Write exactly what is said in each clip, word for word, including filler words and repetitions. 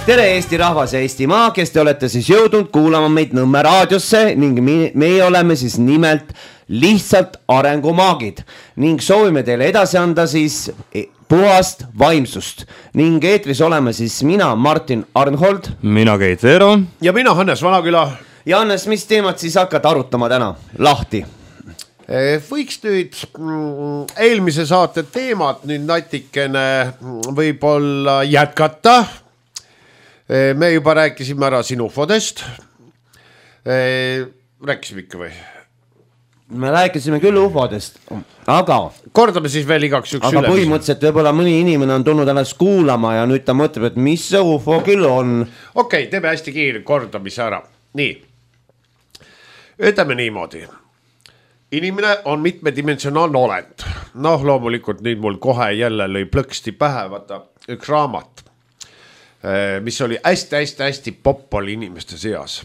tere Eesti rahvas ja Eestimaa, kes te olete siis jõudnud kuulama meid Nõmme raadiosse ning meie oleme siis nimelt lihtsalt arengumaagid ning soovime teile edasi anda siis puhast vaimsust ning eetris oleme siis mina, Martin Arnhold, mina Keit Veero ja mina Hannes Vanaküla. Ja Hannes, mis teemat siis hakkad arutama täna lahti? Võiks nüüd eelmise saate teemat nüüd natikene võib-olla jätkata. Me juba rääkisime ära sinu ufodest. Rääkisime ikka või? Me rääkisime küll ufodest, aga kordame siis veel igaks üks aga üle. Põhimõtteliselt võib-olla mõni inimene on tulnud ennast kuulama ja nüüd ta mõtleb, et mis see ufo küll on. Okei, okay, teeme hästi kiire kordamise ära. Nii, ütleme niimoodi. Inimene on mitmedimensionaalne olend. Noh, loomulikult nüüd mul kohe jälle lõi plõksti pähe, vaata üks raamat, mis oli hästi-hästi-hästi poppol inimeste seas.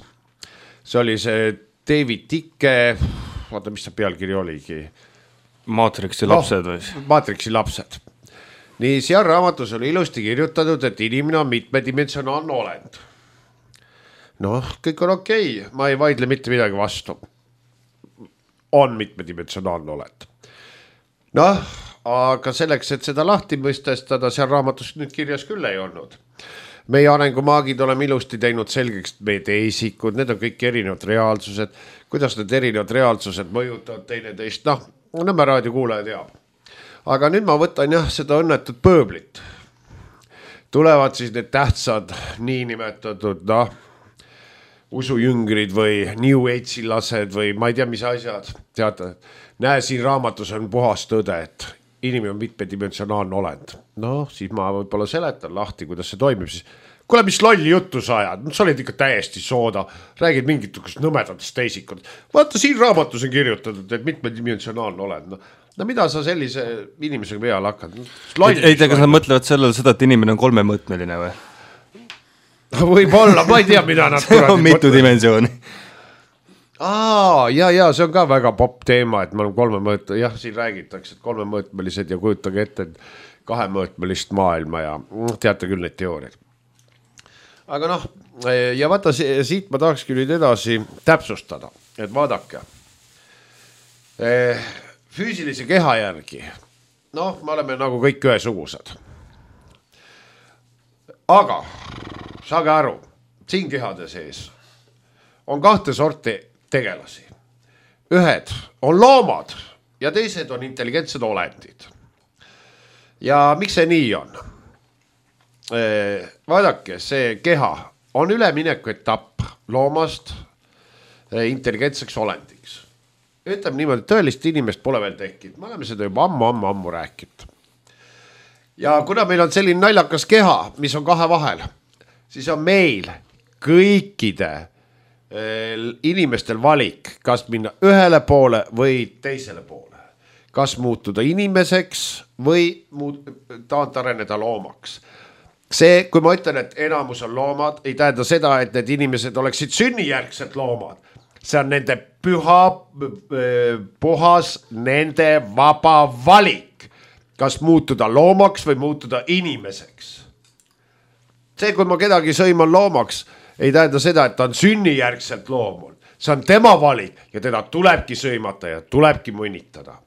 See oli see David Icke, vaata mis see pealkiri oligi. Maatriksi lapsed või? No, Maatriksi lapsed. Nii, seal raamatus oli ilusti kirjutatud, et inimene on mitmedimensionaalne olend. Noh, kõik on okei, okay. Ma ei vaidle mitte midagi vastu. On mitmedimensionaalne olend. Noh, aga selleks, et seda lahti mõistestada, seal raamatus nüüd kirjas küll ei olnud. Meie arengumaagid oleme ilusti teinud selgeks meie teisikud, need on kõik erinevad reaalsused, kuidas need erinevad reaalsused mõjutavad teineteist, noh, Nõmme raadio kuulaja teab. Aga nüüd ma võtan jah seda õnnetut pööblit. Tulevad siis need tähtsad niinimetatud, noh, usujüngrid või New Age'i lased või ma ei tea, mis asjad. Teate, näe, siin raamatus on puhas tõde, et inimene on mitmedimensionaalne olend. Noh, siis ma võib-olla seletan lahti, kuidas see toimib. Siis, kuule, mis lolli juttu sa ajad? Sa oled ikka täiesti sooda. Räägid mingit nõmedatest teisikud. Vaata, siin raamatus on kirjutatud, et mitmedimensionaalne olend. No, no mida sa sellise inimesega peale hakkad? Ei tea, kas nad mõtlevad sellele seda, et inimene on kolmemõõtmeline või? Võib-olla, ma ei tea, mida nad see on mitu dimensiooni. Aa, ja, ja, see on ka väga popp teema, et me oleme kolmemõõt, jah, siin räägitakse, et kolmemõõtmelised ja kujutage ette kahemõõtmelist maailma ja teate küll neid teooriaid. Aga noh, ja vaata, siit ma tahaks küll nüüd edasi täpsustada, et vaadake. Füüsilise keha järgi, noh, me oleme nagu kõik ühesugused. Aga saage aru, siin kehade sees on kahte sorti tegelasi. Ühed on loomad ja teised on intelligentsed olendid. Ja miks see nii on? Vaadake, see keha on ülemineku etapp loomast intelligentseks olendiks. Ütleme niimoodi, tõelist inimest pole veel tekkinud. Me oleme seda juba ammu, ammu, ammu rääkinud. Ja kuna meil on selline naljakas keha, mis on kahe vahel, siis on meil kõikide inimestel valik, kas minna ühele poole või teisele poole. Kas muutuda inimeseks või taant areneda loomaks. See, kui ma ütlen, et enamus on loomad, ei tähenda seda, et need inimesed oleksid sünnijärgselt loomad. See on nende püha, puhas, nende vaba valik. Kas muutuda loomaks või muutuda inimeseks. See, kui ma kedagi sõiman loomaks, ei tähenda seda, et ta on sünnijärgselt loomul. See on tema valik ja teda tulebki sõimata ja tulebki mõnitada.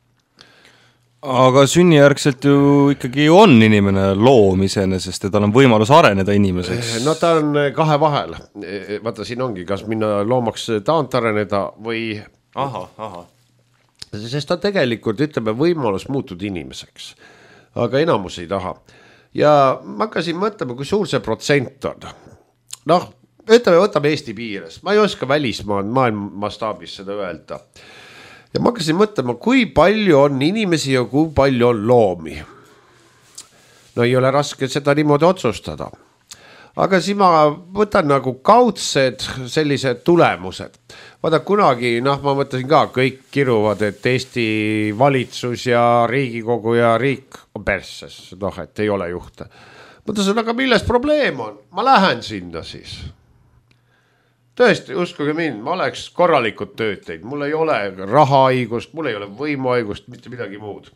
Aga sünnijärgselt ju ikkagi on inimene loom iseenesest ja tal on võimalus areneda inimeseks. No ta on kahe vahel. Vaata, siin ongi, kas minna loomaks taant areneda või... Aha, aha. Sest ta tegelikult, ütleme, võimalus muutuda inimeseks. Aga enamus ei taha. Ja ma hakkasin mõtlema, kui suur see protsent on. Noh, ütleme, võtame Eesti piires. Ma ei oska välismaa maailma mastaabis seda öelda. Ja ma hakkasin mõtlema, kui palju on inimesi ja kui palju on loomi. No ei ole raske seda niimoodi otsustada. Aga siis ma võtan nagu kaudsed sellised tulemused. Vaata kunagi, noh ma mõtlesin ka, kõik kiruvad, et Eesti valitsus ja Riigikogu ja riik on persses, noh et ei ole juhte. Mõtlesin, aga milles probleem on? Ma lähen sinna siis. Tõesti, uskuge mind, ma oleks korralikud tööd teinud. Mul ei ole rahahaigust, mul ei ole võimuhaigust, mitte midagi muud.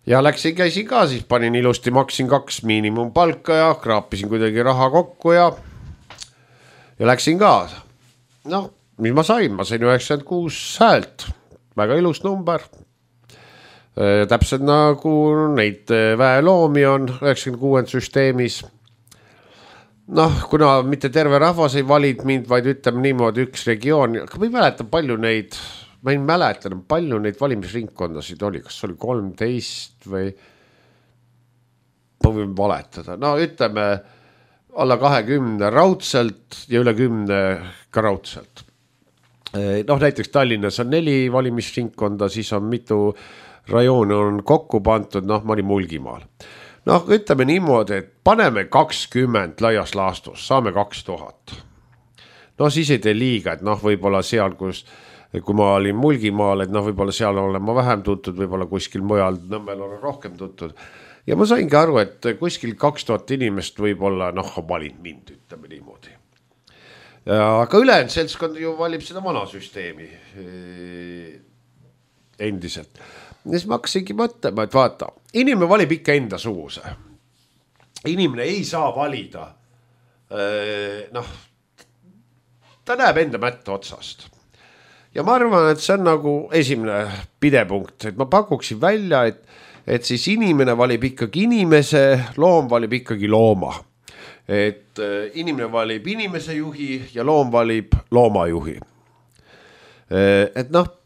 ja läksin, käisin ka, siis panin ilusti, maksin kaks miinimumpalka ja kraapisin kuidagi raha kokku ja ja läksin ka. Noh, mis ma sain, ma sain üheksakümmend kuus häält, väga ilus number. Täpselt nagu neid väeloomi on üheksakümmend kuus süsteemis. Noh, kuna mitte terve rahvas ei valid mind, vaid ütleme niimoodi üks regioon, aga ma ei mäleta palju neid, ma ei mäleta, palju neid valimisringkondasid oli, kas oli kolmteist või ma võin valetada. No ütleme alla kahekümne raudselt ja üle kümne ka raudselt. Noh, näiteks Tallinnas on neli valimisringkonda, siis on mitu rajooni on kokku pantud, noh, ma olin Mulgimaal. Noh, ütleme niimoodi, et paneme kakskümmend laias laastus, saame kaks tuhat. No siis ei tee liiga, et noh, võib-olla seal, kus, kui ma olin Mulgimaal, et noh, võib-olla seal olen ma vähem tuntud, võib-olla kuskil mujal Nõmmel on rohkem tuntud. Ja ma saingi aru, et kuskil kaks tuhat inimest võib-olla, noh, valid mind, ütleme niimoodi. Aga ülejäänud seltskond ju valib seda vana süsteemi endiselt. Ja siis ma hakkasingi mõtlema, et vaata, inimene valib ikka enda suguse. Inimene ei saa valida, noh, ta näeb enda mätta otsast. Ja ma arvan, et see on nagu esimene pidepunkt, et ma pakuksin välja, et, et siis inimene valib ikkagi inimese, loom valib ikkagi looma. Et inimene valib inimese juhi ja loom valib loomajuhi. Et noh,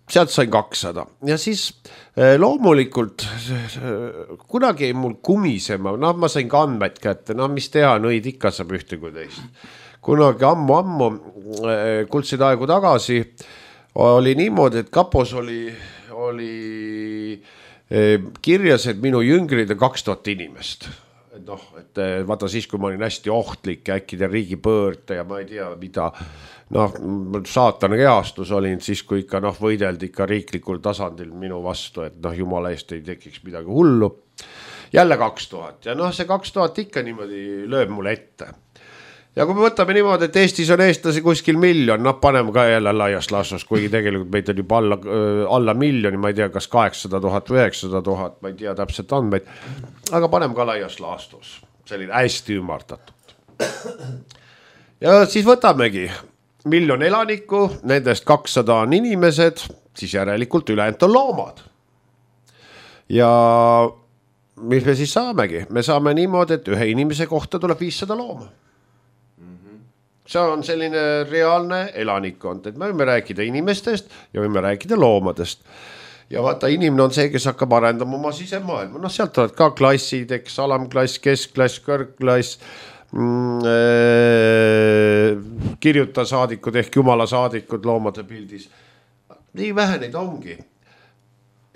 sealt sain kakssada ja siis loomulikult kunagi ei mul kumisema, noh ma sain ka andmed kätte, noh mis teha, nõid ikka saab ühte kui teist. Kunagi ammu-ammu kuldseid aegu tagasi oli niimoodi, et kapos oli, oli kirjas, et minu jüngrid on kaks tuhat inimest. Et noh, et vaata siis, kui ma olin hästi ohtlik ja äkki teen riigipöörte ja ma ei tea mida, noh, saatana kehastus olin siis, kui ikka noh, võideldi ikka riiklikul tasandil minu vastu, et noh, jumala eest ei tekiks midagi hullu. Jälle kaks tuhat ja noh, see kaks tuhat ikka niimoodi lööb mulle ette. Ja kui me võtame niimoodi, et Eestis on eestlasi kuskil miljon, noh, paneme ka jälle laias laastus, kuigi tegelikult meid on juba alla, alla miljoni, ma ei tea, kas kaheksasada tuhat või üheksasada tuhat, ma ei tea täpselt andmeid, aga paneme ka laias laastus, selline hästi ümardatud. Ja siis võtamegi miljon elanikku, nendest kakssada on inimesed, siis järelikult ülejäänud on loomad. Ja mis me siis saamegi? Me saame niimoodi, et ühe inimese kohta tuleb viissada looma. See on selline reaalne elanikkond, et me võime rääkida inimestest ja võime rääkida loomadest. Ja vaata, inimene on see, kes hakkab arendama oma sisemaailma. Noh, sealt oled ka klassid, eks, alamklass, keskklass, kõrgklass, mm, äh, kirjuta saadikud ehk jumala saadikud loomade pildis. Nii vähe neid ongi.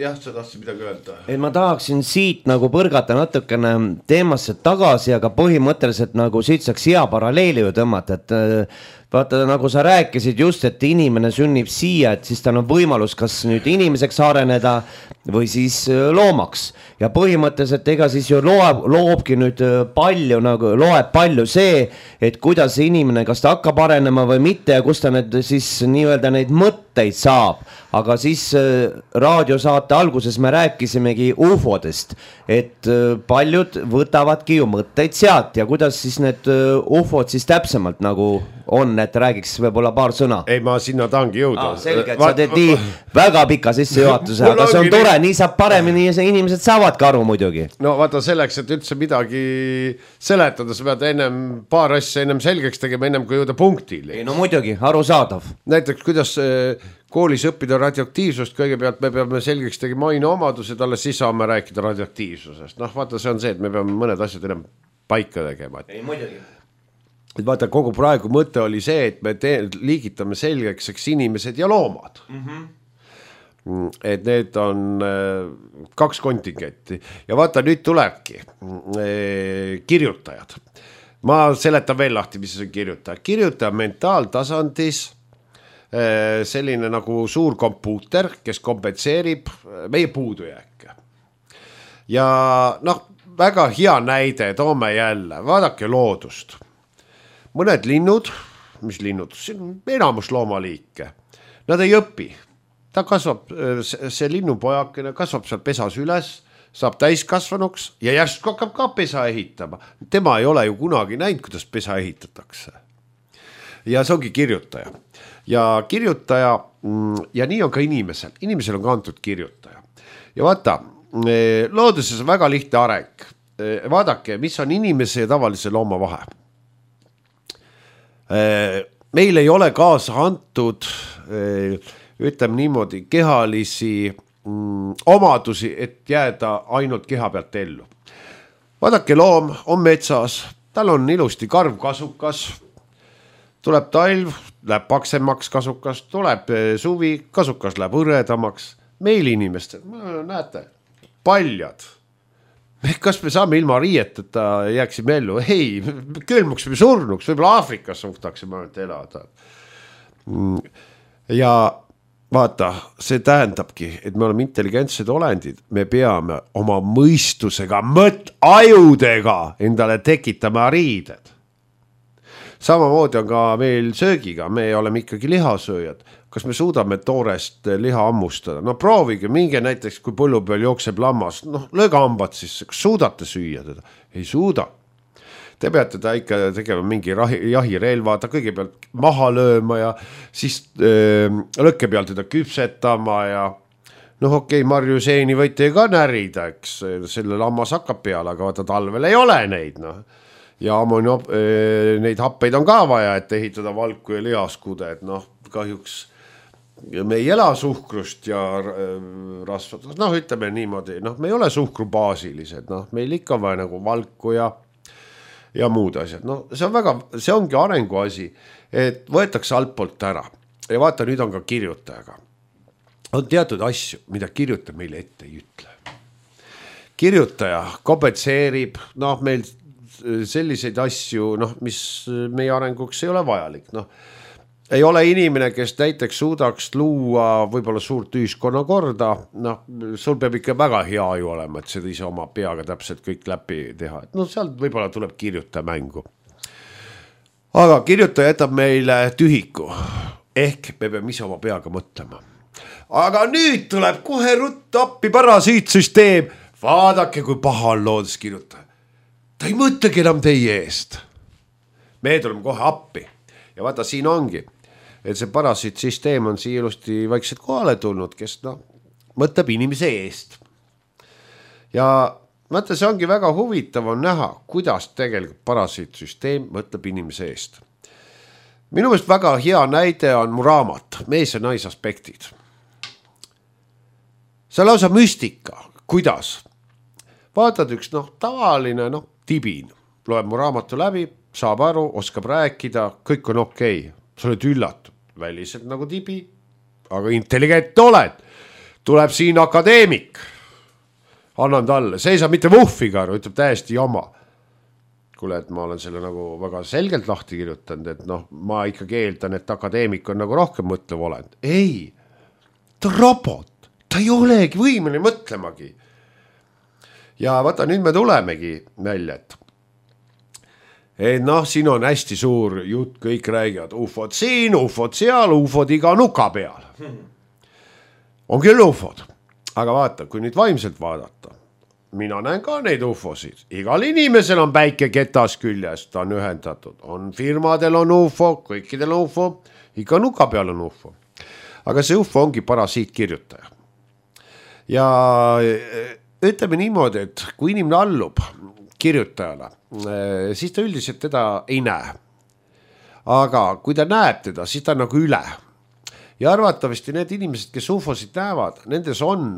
Jah, sa tahtsid midagi öelda. Et ma tahaksin siit nagu põrgata natukene teemasse tagasi, aga põhimõtteliselt nagu siit saaks hea paralleeli ju tõmmata, et vaata, nagu sa rääkisid just, et inimene sünnib siia, et siis tal on võimalus kas nüüd inimeseks areneda või siis loomaks. Ja põhimõtteliselt ega siis ju loob, loobki nüüd palju, nagu loeb palju see, et kuidas see inimene, kas ta hakkab arenema või mitte ja kus ta need siis nii-öelda neid mõtteid saab. Aga siis raadiosaate alguses me rääkisimegi ufodest, et paljud võtavadki ju mõtteid sealt ja kuidas siis need ufod siis täpsemalt nagu on, et räägiks võib-olla paar sõna. Ei, ma sinna tahangi jõuda. Ah, selge, et sa teed nii väga pika sisse juhatuse, aga see on tore, nii saab paremini ja inimesed saavad ka aru muidugi. No vaata selleks, et üldse midagi seletada, sa pead ennem paar asja ennem selgeks tegema, ennem kui jõuda punktile. Ei, no muidugi, arusaadav. Näiteks, kuidas koolis õppida radioaktiivsust, kõigepealt me peame selgeks tegema aineomadused, alles siis saame rääkida radioaktiivsusest. Noh, vaata, see on see, et me peame mõned asjad ennem paika tegema. Ei, muidugi. Et vaata, kogu praegu mõte oli see, et me te- liigitame selgeks eks inimesed ja loomad. Mm-hmm. Et need on äh, kaks kontingetti. Ja vaata, nüüd tulebki äh, kirjutajad. Ma seletan veel lahti, mis see on kirjutaja. Kirjutaja mentaaltasandis äh, selline nagu suur kompuuter, kes kompenseerib meie puudujääke. Ja noh, väga hea näide, toome jälle, vaadake loodust. Mõned linnud, mis linnud, see on enamus loomaliike, nad ei õpi. Ta kasvab, see linnupojakene kasvab seal pesas üles, saab täiskasvanuks ja järsku hakkab ka pesa ehitama. Tema ei ole ju kunagi näinud, kuidas pesa ehitatakse. Ja see ongi kirjutaja. Ja kirjutaja ja nii on ka inimesel. Inimesel on ka antud kirjutaja. Ja vaata, looduses on väga lihtne areng. Vaadake, mis on inimese ja tavalise looma vahe. Meil ei ole kaasa antud, ütleme niimoodi, kehalisi omadusi, et jääda ainult keha pealt ellu. Vaadake, loom on metsas, tal on ilusti karv kasukas, tuleb talv, läheb paksemaks kasukas, tuleb suvi, kasukas läheb hõredamaks. Meil inimestel, näete, paljad. Kas me saame ilma riieteta jääksime ellu? Ei, külmuks või surnuks, võib-olla Aafrikas suhtaksime ainult elada. Ja vaata, see tähendabki, et me oleme intelligentsed olendid, me peame oma mõistusega, mõt ajudega endale tekitama riided. Samamoodi on ka meil söögiga, me oleme ikkagi lihasööjad. Kas me suudame toorest liha ammustada? No proovige, minge näiteks, kui põllu peal jookseb lammas, noh, lööge hambad sisse, kas suudate süüa teda? Ei suuda. Te peate ta ikka tegema mingi jahirelva, ta kõigepealt maha lööma ja siis öö, lõkke peal teda küpsetama ja noh, okei, okay, Marju seeni võite ka närida, eks selle lammas hakkab peale, aga vaata talvel ei ole neid, noh. Ja ammoni, neid happeid on ka vaja, et ehitada valku ja lihaskude, et noh, kahjuks ja me ei ela suhkrust ja rasvad, noh ütleme niimoodi, noh me ei ole suhkrubaasilised, noh meil ikka vaja nagu valku ja, ja muud asjad, no see on väga, see ongi arengu asi, et võetakse altpoolt ära ja vaata, nüüd on ka kirjutajaga. On teatud asju, mida kirjutaja meile ette ei ütle. Kirjutaja kobetseerib, noh meil selliseid asju, noh mis meie arenguks ei ole vajalik, noh ei ole inimene, kes näiteks suudaks luua võib-olla suurt ühiskonna korda, noh, sul peab ikka väga hea aju olema, et seda ise oma peaga täpselt kõik läbi teha. No sealt võib-olla tuleb kirjutaja mängu. Aga kirjutaja jätab meile tühiku, ehk me peame ise oma peaga mõtlema. Aga nüüd tuleb kohe rutt appi parasiitsüsteem. Vaadake, kui paha on looduskirjutaja. Ta ei mõtlegi enam teie eest. Me tuleme kohe appi. Ja vaata, siin ongi, et see parasiitsüsteem on siia ilusti vaikselt kohale tulnud, kes no, mõtleb inimese eest. Ja vaata, see ongi väga huvitav on näha, kuidas tegelikult parasiitsüsteem mõtleb inimese eest. Minu meelest väga hea näide on mu raamat, mees ja naisaspektid. See on lausa müstika, kuidas? Vaatad üks noh, tavaline noh, tibin, loeb mu raamatu läbi, saab aru, oskab rääkida, kõik on okei. Sa oled üllatud, väliselt nagu tibi, aga intelligent oled. Tuleb siin akadeemik. Annan talle, see ei saa mitte vuhfiga aru, ütleb täiesti jama. Kuule, et ma olen selle nagu väga selgelt lahti kirjutanud, et noh, ma ikkagi eeldan, et akadeemik on nagu rohkem mõtlev olend. Ei, ta on robot, ta ei olegi võimeline mõtlemagi. Ja vaata, nüüd me tulemegi välja, et Et noh, siin on hästi suur jutt, kõik räägivad ufod siin, ufod seal, ufod iga nuka peal. On küll ufod, aga vaata, kui nüüd vaimselt vaadata, mina näen ka neid ufosid. Igal inimesel on päike ketas küljes, ta on ühendatud. On firmadel on ufo, kõikidel on ufo, iga nuka peal on ufo. Aga see ufo ongi parasiitkirjutaja. Ja ütleme niimoodi, et kui inimene allub kirjutajale, siis ta üldiselt teda ei näe. Aga kui ta näeb teda, siis ta on nagu üle. Ja arvatavasti need inimesed, kes ufosid näevad, nendes on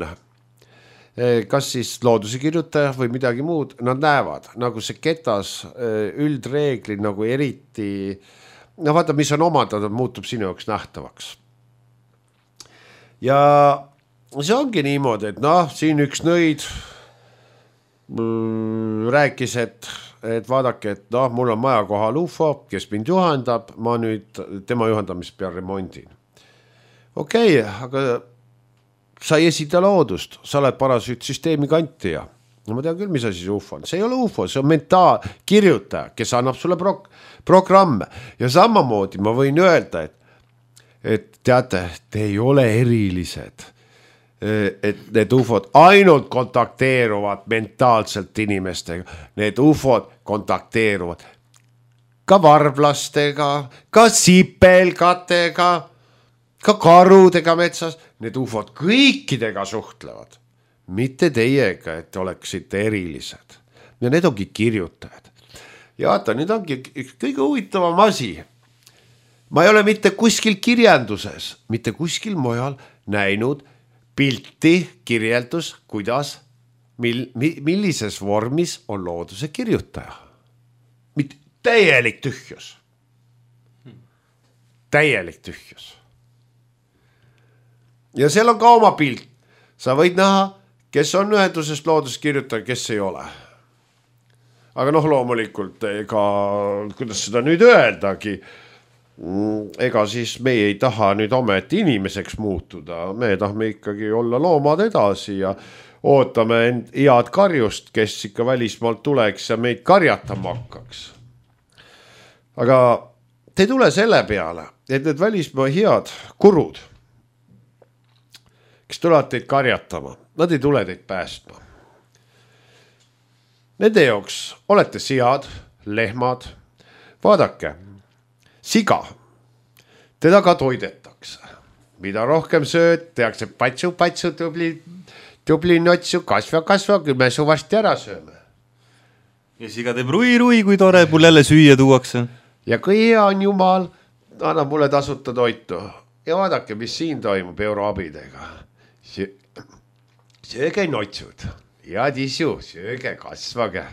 kas siis looduse kirjutaja või midagi muud, nad näevad, nagu see ketas üldreeglid nagu eriti, no vaata, mis on omandatud, muutub sinu jaoks nähtavaks. Ja see ongi niimoodi, et noh, siin üks nõid rääkis, et, et vaadake, et noh, mul on maja kohal ufo, kes mind juhendab, ma nüüd tema juhendamist peal remondin. Okei, okay, aga sa ei esita loodust, sa oled parasüütsüsteemi kantija. No ma tean küll, mis asi see ufo on. See ei ole ufo, see on mentaal kirjutaja, kes annab sulle pro programme. Ja samamoodi ma võin öelda, et, et teate, te ei ole erilised. et need ufod ainult kontakteeruvad mentaalselt inimestega, need ufod kontakteeruvad ka varblastega, ka sipelgatega, ka karudega metsas, need ufod kõikidega suhtlevad, mitte teiega, et oleksite erilised. Ja need ongi kirjutajad. Ja vaata, nüüd ongi kõige huvitavam asi. Ma ei ole mitte kuskil kirjanduses, mitte kuskil mujal näinud pilti, kirjeldus, kuidas, mil, millises vormis on looduse kirjutaja. Mitte täielik tühjus. Täielik tühjus. Ja seal on ka oma pilt. Sa võid näha, kes on ühendusest looduskirjutaja, kes ei ole. Aga noh, loomulikult, ega, kuidas seda nüüd öeldagi, ega siis me ei taha nüüd ometi inimeseks muutuda. Me tahame ikkagi olla loomad edasi ja ootame end head karjust, kes ikka välismaalt tuleks ja meid karjatama hakkaks. Aga te ei tule selle peale, et need välismaa head kurud, kes tulevad teid karjatama, nad ei tule teid päästma. Nende jooks olete sead, lehmad, vaadake, siga, teda ka toidetakse. Mida rohkem sööd, tehakse patsu, patsu, tubli, tubli notsu, kasva, kasva, küll me suvasti ära sööme. Ja siga teeb rui, rui, kui tore, mul jälle süüa tuuakse. Ja kui hea on Jumal, annab mulle tasuta toitu. Ja vaadake, mis siin toimub euroabidega. Sööge notsud. Ja tisu, sööge, kasvage.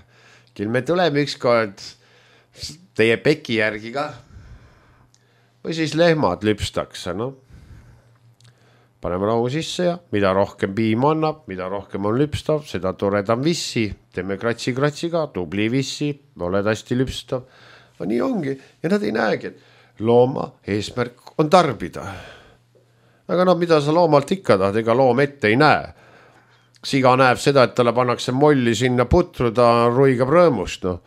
Küll me tuleme ükskord teie peki järgi ka. Või siis lehmad lüpstakse, no. Paneme rahu sisse ja mida rohkem piim annab, mida rohkem on lüpstav, seda toredam vissi. Teeme kratsi, kratsi ka, tubli vissi, oled hästi lüpstav. Aga nii ongi ja nad ei näegi, et looma eesmärk on tarbida. Aga no mida sa loomalt ikka tahad, ega loom ette ei näe. Siga näeb seda, et talle pannakse molli sinna putru, ta ruigab rõõmust. No.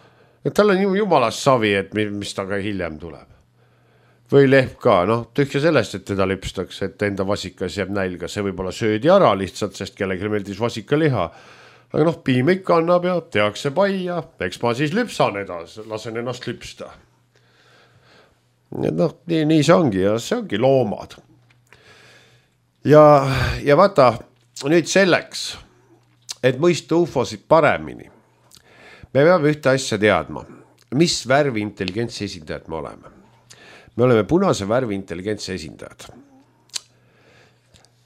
Et tal on jumalast savi, et mis taga hiljem tuleb. Või lehm ka, noh, tühja sellest, et teda lüpstakse, et enda vasikas jääb nälga. See võib olla söödi ära lihtsalt, sest kellegi meeldis vasika liha. Aga noh, piim ikka annab ja tehakse paia. Eks ma siis lüpsan edasi, lasen ennast lüpsta. Noh, nii, nii see ongi ja see ongi loomad. Ja, ja vaata, nüüd selleks, et mõista ufosid paremini, me peame ühte asja teadma, mis värvi intelligentsi esindajad me oleme. Me oleme punase värvi intelligentsi esindajad.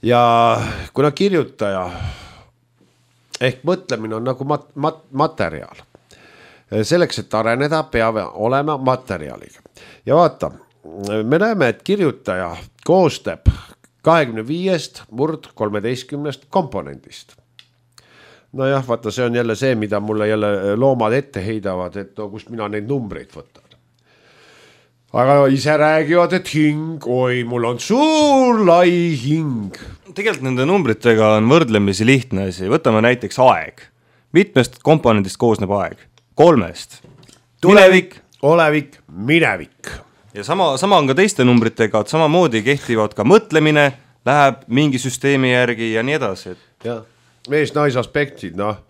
Ja kuna kirjutaja ehk mõtlemine on nagu mat, mat, materjal. Selleks, et areneda, peab olema materjaliga. Ja vaata, me näeme, et kirjutaja koostab kahekümne viiest murd kolmeteistkümnest komponendist. No jah, vaata, see on jälle see, mida mulle jälle loomad ette heidavad, et no, kust mina neid numbreid võtan. Aga ise räägivad, et hing, oi, mul on suur lai hing. Tegelikult nende numbritega on võrdlemisi lihtne asi. Võtame näiteks aeg. Mitmest komponendist koosneb aeg? Kolmest. Tulevik. Olevik, minevik. Ja sama, sama on ka teiste numbritega, et samamoodi kehtivad ka mõtlemine, läheb mingi süsteemi järgi ja nii edasi. Ja, mees-nais aspektid, noh.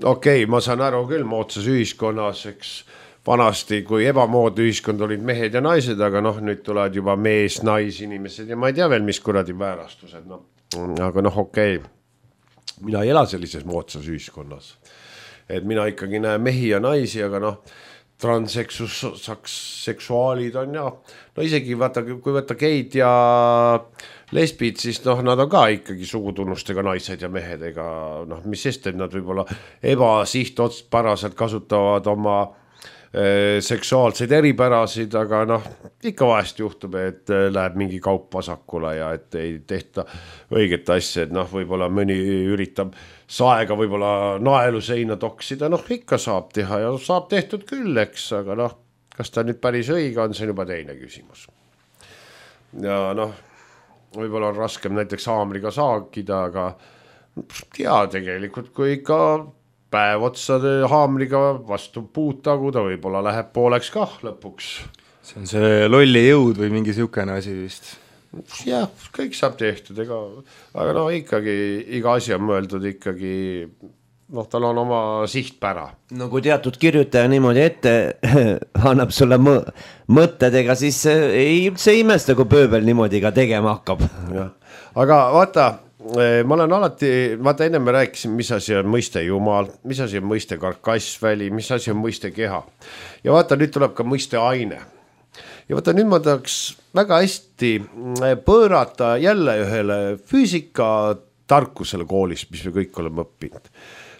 Okei, ma saan aru küll moodsas ühiskonnas, eks vanasti, kui ebamoodne ühiskond olid mehed ja naised, aga noh, nüüd tulevad juba mees, nais inimesed ja ma ei tea veel, mis kuradi väärastused. No. Aga noh, okei, mina ei ela sellises moodsas ühiskonnas. Et mina ikkagi näen mehi ja naisi, aga noh, transseksuaalid on ja, no isegi vaata, kui võtta geid ja lesbid, siis noh, nad on ka ikkagi sugutunnustega naised ja mehed, ega noh, mis sest, et nad võib-olla ebasihtotsparaselt kasutavad oma seksuaalseid eripärasid, aga noh, ikka vahest juhtub, et läheb mingi kaup vasakule ja et ei tehta õiget asja, et noh, võib-olla mõni üritab saega võib-olla naelu seina toksida, noh, ikka saab teha ja saab tehtud küll, eks, aga noh, kas ta nüüd päris õige on, see on juba teine küsimus. Ja noh, võib-olla on raskem näiteks haamriga saagida, aga tea tegelikult, kui ikka päev otsa haamriga vastu puutagu, ta võib-olla läheb pooleks kah lõpuks. See on see lolli jõud või mingi siukene asi vist. jah, kõik saab tehtud, ega, aga no ikkagi iga asi on mõeldud ikkagi, noh, tal on oma sihtpära. No kui teatud kirjutaja niimoodi ette annab sulle mõ mõttedega, siis ei üldse imesta, kui pööbel niimoodi ka tegema hakkab. Ja. Aga vaata, ma olen alati, vaata enne me rääkisin, mis asi on mõiste Jumal, mis asi on mõiste karkassväli, mis asi on mõiste keha. Ja vaata, nüüd tuleb ka mõiste aine. Ja vaata, nüüd ma tahaks väga hästi pöörata jälle ühele füüsika tarkusele koolis, mis me kõik oleme õppinud.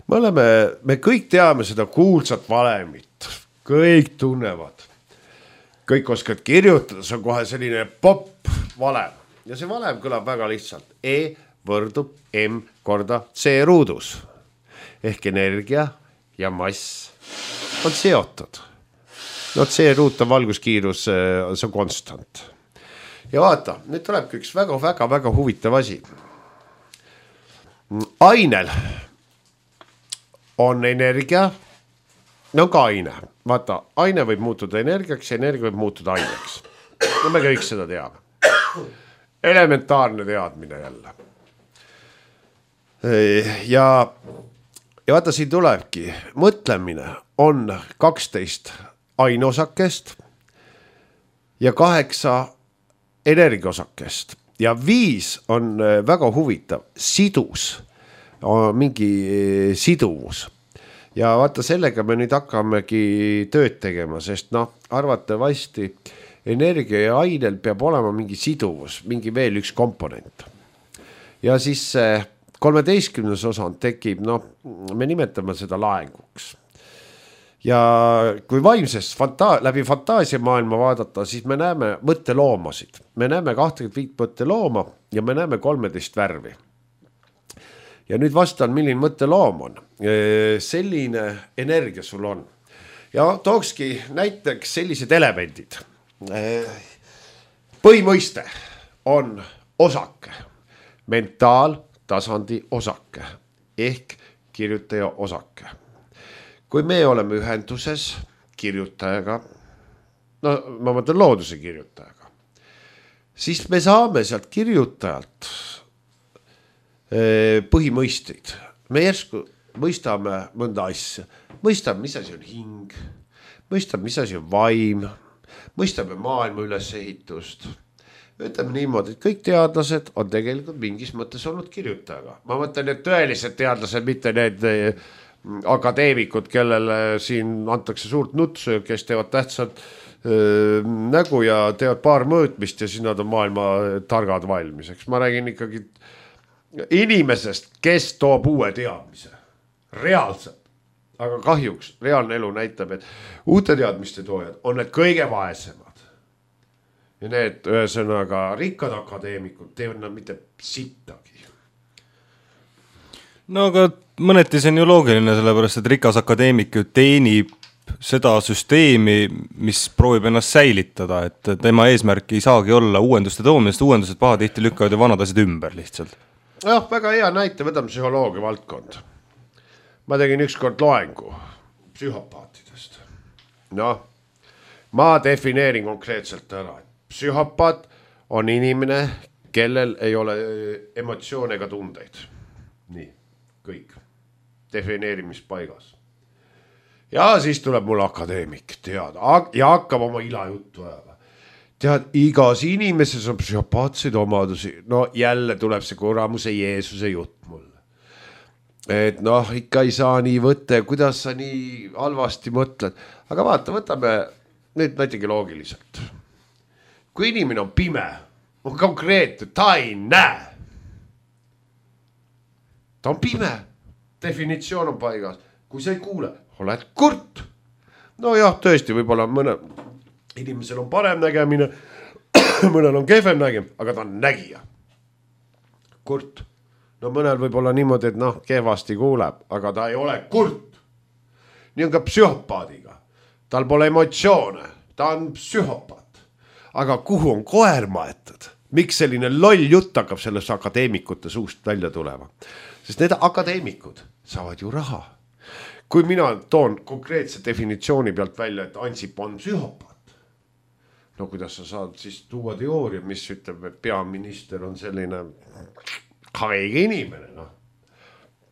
Me oleme, me kõik teame seda kuulsat valemit, kõik tunnevad, kõik oskavad kirjutada, see on kohe selline pop valem ja see valem kõlab väga lihtsalt. E võrdub M korda C ruudus ehk energia ja mass on seotud. No C ruut on valguskiirus, see on konstant. Ja vaata, nüüd tulebki üks väga, väga, väga huvitav asi. Ainel on energia, no ka aine. Vaata, aine võib muutuda energiaks, energia võib muutuda aineks. No me kõik seda teame. Elementaarne teadmine jälle. Ja, ja vaata, siin tulebki. Mõtlemine on kaksteist aineosakest ja kaheksa energiaosakest ja viis on väga huvitav sidus, mingi siduvus ja vaata sellega me nüüd hakkamegi tööd tegema, sest noh, arvatavasti energia ja ainel peab olema mingi siduvus, mingi veel üks komponent ja siis kolmeteistkümnes osand tekib, noh, me nimetame seda laenguks. Ja kui vaimsest fanta läbi fantaasia maailma vaadata, siis me näeme mõtteloomasid. Me näeme kakskümmend viis mõttelooma ja me näeme kolmteist värvi. Ja nüüd vastan, milline mõtteloom on. Selline energia sul on. Ja tookski näiteks sellised elemendid. Põhimõiste on osake, mentaaltasandi osake ehk kirjutaja osake. Kui me oleme ühenduses kirjutajaga, no ma mõtlen looduse kirjutajaga, siis me saame sealt kirjutajalt põhimõisteid. Me järsku mõistame mõnda asja, mõistame, mis asi on hing, mõistame, mis asi on vaim, mõistame maailma ülesehitust. Ütleme niimoodi, et kõik teadlased on tegelikult mingis mõttes olnud kirjutajaga. Ma mõtlen, et tõelised teadlased, mitte need akadeemikud, kellele siin antakse suurt nutsu, kes teevad tähtsalt öö, nägu ja teevad paar mõõtmist ja siis nad on maailma targad valmiseks. Ma räägin ikkagi inimesest, kes toob uue teadmise. Reaalselt. Aga kahjuks reaalne elu näitab, et uute teadmiste toojad on need kõige vaesemad. Ja need ühesõnaga rikkad akadeemikud teevad nad mitte sittagi. No aga mõneti see on ju loogiline, sellepärast, et rikas akadeemik ju teenib seda süsteemi, mis proovib ennast säilitada, et tema eesmärk ei saagi olla uuenduste toomine, sest uuendused pahatihti lükkavad ja vanad asjad ümber lihtsalt. Jah, väga hea näite, võtame psühholoogia valdkond. Ma tegin ükskord loengu psühhopaatidest. No, ma defineerin konkreetselt ära, et psühhopaat on inimene, kellel ei ole emotsioone ega tundeid. Nii, kõik. Defineerimispaigas. Ja siis tuleb mul akadeemik, tead, ja hakkab oma ila juttu ajama. Tead, igas inimeses on psühhopaatseid omadusi. No jälle tuleb see kuramuse Jeesuse jutt mulle. Et noh, ikka ei saa nii võtta, kuidas sa nii halvasti mõtled. Aga vaata, võtame nüüd näitegi loogiliselt. Kui inimene on pime, on konkreetne, ta ei näe. Ta on pime. Definitsioon on paigas. Kui sa ei kuule, oled kurt. No jah, tõesti, võib-olla mõne inimesel on parem nägemine, mõnel on kehvem nägemine, aga ta on nägija. Kurt. No mõnel võib-olla niimoodi, et noh, kehvasti kuuleb, aga ta ei ole kurt. Nii on ka psühhopaadiga. Tal pole emotsioone, ta on psühhopaat. Aga kuhu on koer maetud? Miks selline loll jutt hakkab selles akadeemikute suust välja tulema? Sest need akadeemikud saavad ju raha. Kui mina toon konkreetse definitsiooni pealt välja, et Ansip on psühhopaat. no kuidas sa saad siis tuua teooria, mis ütleb, et peaminister on selline haige inimene, noh.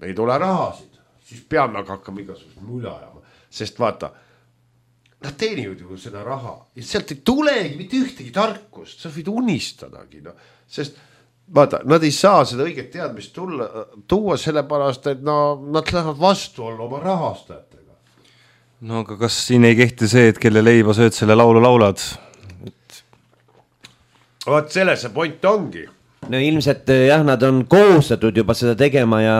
Ei tule rahasid, siis peame hakkama igasugust mulja ajama, sest vaata, nad teenivad ju seda raha ja sealt ei tulegi mitte ühtegi tarkust, sa võid unistadagi, no. Sest vaata, nad ei saa seda õiget teadmist tulla, tuua sellepärast, et no, nad lähevad vastu olla oma rahastajatega. No aga kas siin ei kehti see, et kelle leiba sööd selle laulu laulad? Et... Vaat selle see point ongi. No ilmselt jah, nad on kohustatud juba seda tegema ja,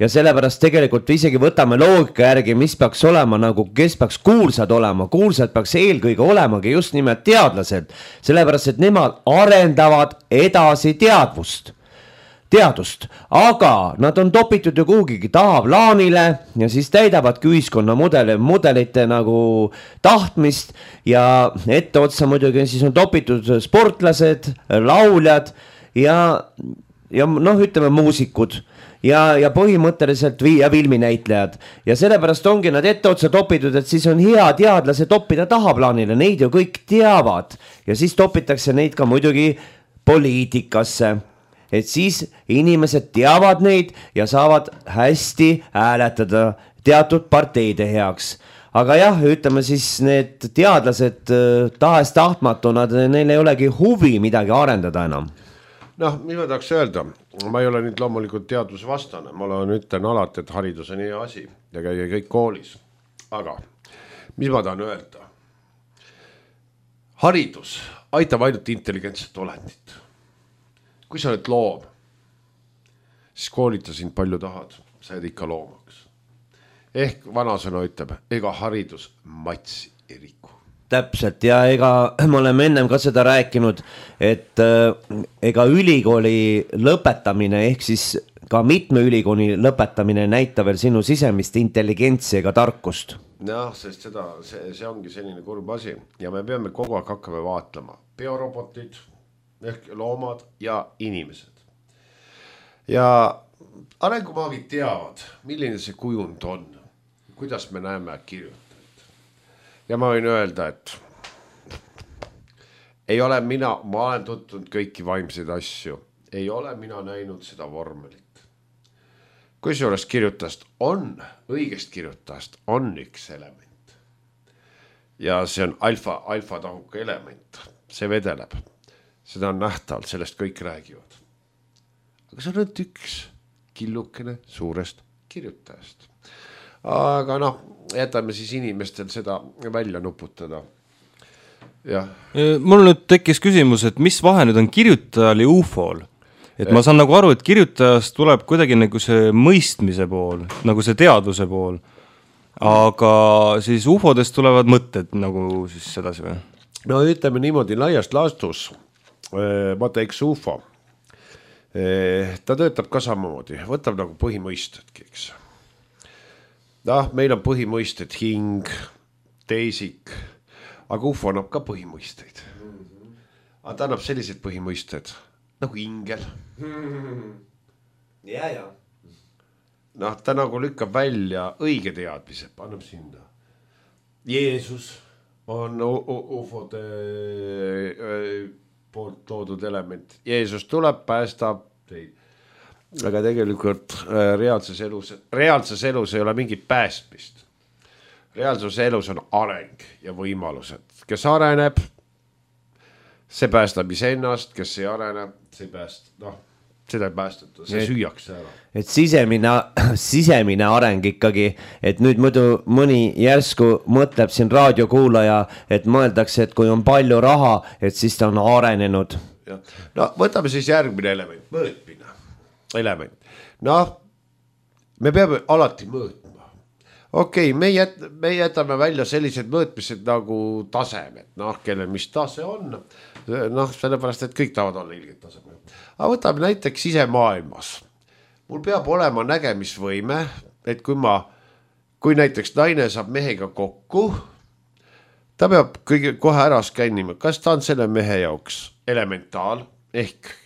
ja sellepärast tegelikult isegi võtame loogika järgi, mis peaks olema nagu, kes peaks kuulsad olema. Kuulsad peaks eelkõige olemagi just nimelt teadlased, sellepärast et nemad arendavad edasi teadvust, teadust, aga nad on topitud ju kuhugigi tahaplaanile ja siis täidavadki ühiskonna mudeli, mudelite nagu tahtmist ja etteotsa muidugi siis on topitud sportlased, lauljad ja, ja noh, ütleme muusikud ja, ja põhimõtteliselt vi- ja filminäitlejad ja sellepärast ongi nad etteotsa topitud, et siis on hea teadlase toppida tahaplaanile, neid ju kõik teavad ja siis topitakse neid ka muidugi poliitikasse, et siis inimesed teavad neid ja saavad hästi hääletada teatud parteide heaks. Aga jah, ütleme siis need teadlased tahes tahtmatu, nad, neil ei olegi huvi midagi arendada enam. Noh, mis ma tahaks öelda, ma ei ole nüüd loomulikult teadusvastane, ma olen ütlen alati, et haridus on hea asi ja käige kõik koolis. Aga mis ma tahan öelda? Haridus aitab ainult intelligentset olendit. Kui sa oled loom, siis koolita sind palju tahad, sa jääd ikka loomaks. Ehk vanasõna ütleb, ega haridus matsi ei riku. Täpselt ja ega me oleme ennem ka seda rääkinud, et äh, ega ülikooli lõpetamine ehk siis ka mitme ülikooli lõpetamine näitab veel sinu sisemist intelligentsi ega tarkust. Jah, sest seda, see, see ongi selline kurb asi ja me peame kogu aeg hakkama vaatlema biorobotid ehk loomad ja inimesed. Ja arengumaagid teavad, milline see kujund on, kuidas me näeme kirjutajat. Ja ma võin öelda, et ei ole mina, ma olen tuttunud kõiki vaimseid asju, ei ole mina näinud seda vormelit. Kui juures kirjutast on, õigest kirjutast on üks element. Ja see on alfa, alfa tahuka element, see vedeleb. Seda on nähtaval, sellest kõik räägivad. Aga see on üks killukene suurest kirjutajast. Aga noh, jätame siis inimestel seda välja nuputada. Ja. Mul nüüd tekkis küsimus, et mis vahe nüüd on kirjutajal ja U F O-l? Et ma saan nagu aru, et kirjutajast tuleb kuidagi nagu see mõistmise pool, nagu see teadvuse pool. Aga siis U F O-dest tulevad mõtted nagu siis sedasi või? No ütleme niimoodi laiast laastus, vaata eks U F O, ta töötab ka samamoodi, võtab nagu põhimõistetki, eks. Noh, meil on põhimõisted hing, teisik, aga U F O annab ka põhimõisteid. Aga ta annab sellised põhimõisted nagu ingel. Ja, ja. Noh, ta nagu lükkab välja õige teadmise, annab sinna. Jeesus on U F O-de poolt toodud element. Jeesus tuleb, päästab teid. Aga tegelikult reaalses elus, reaalses elus ei ole mingit päästmist. Reaalses elus on areng ja võimalused. Kes areneb, see päästab iseennast, kes ei arene, see pääst, noh, seda ei päästata, see süüakse ära. Et sisemine, sisemine areng ikkagi, et nüüd muidu mõni järsku mõtleb siin raadiokuulaja, et mõeldakse, et kui on palju raha, et siis ta on arenenud. Ja. No võtame siis järgmine element, mõõtmine. Element. Noh, me peame alati mõõtma. Okei, okay, me, jät, me jätame välja sellised mõõtmised nagu tasemed. Noh, kellel mis tase on. Noh, sellepärast, et kõik tahavad olla ilged tasemel. Aga võtame näiteks sisemaailmas. Mul peab olema nägemisvõime, et kui ma, kui näiteks naine saab mehega kokku, ta peab kõige kohe ära skännima, kas ta on selle mehe jaoks elementaal ehk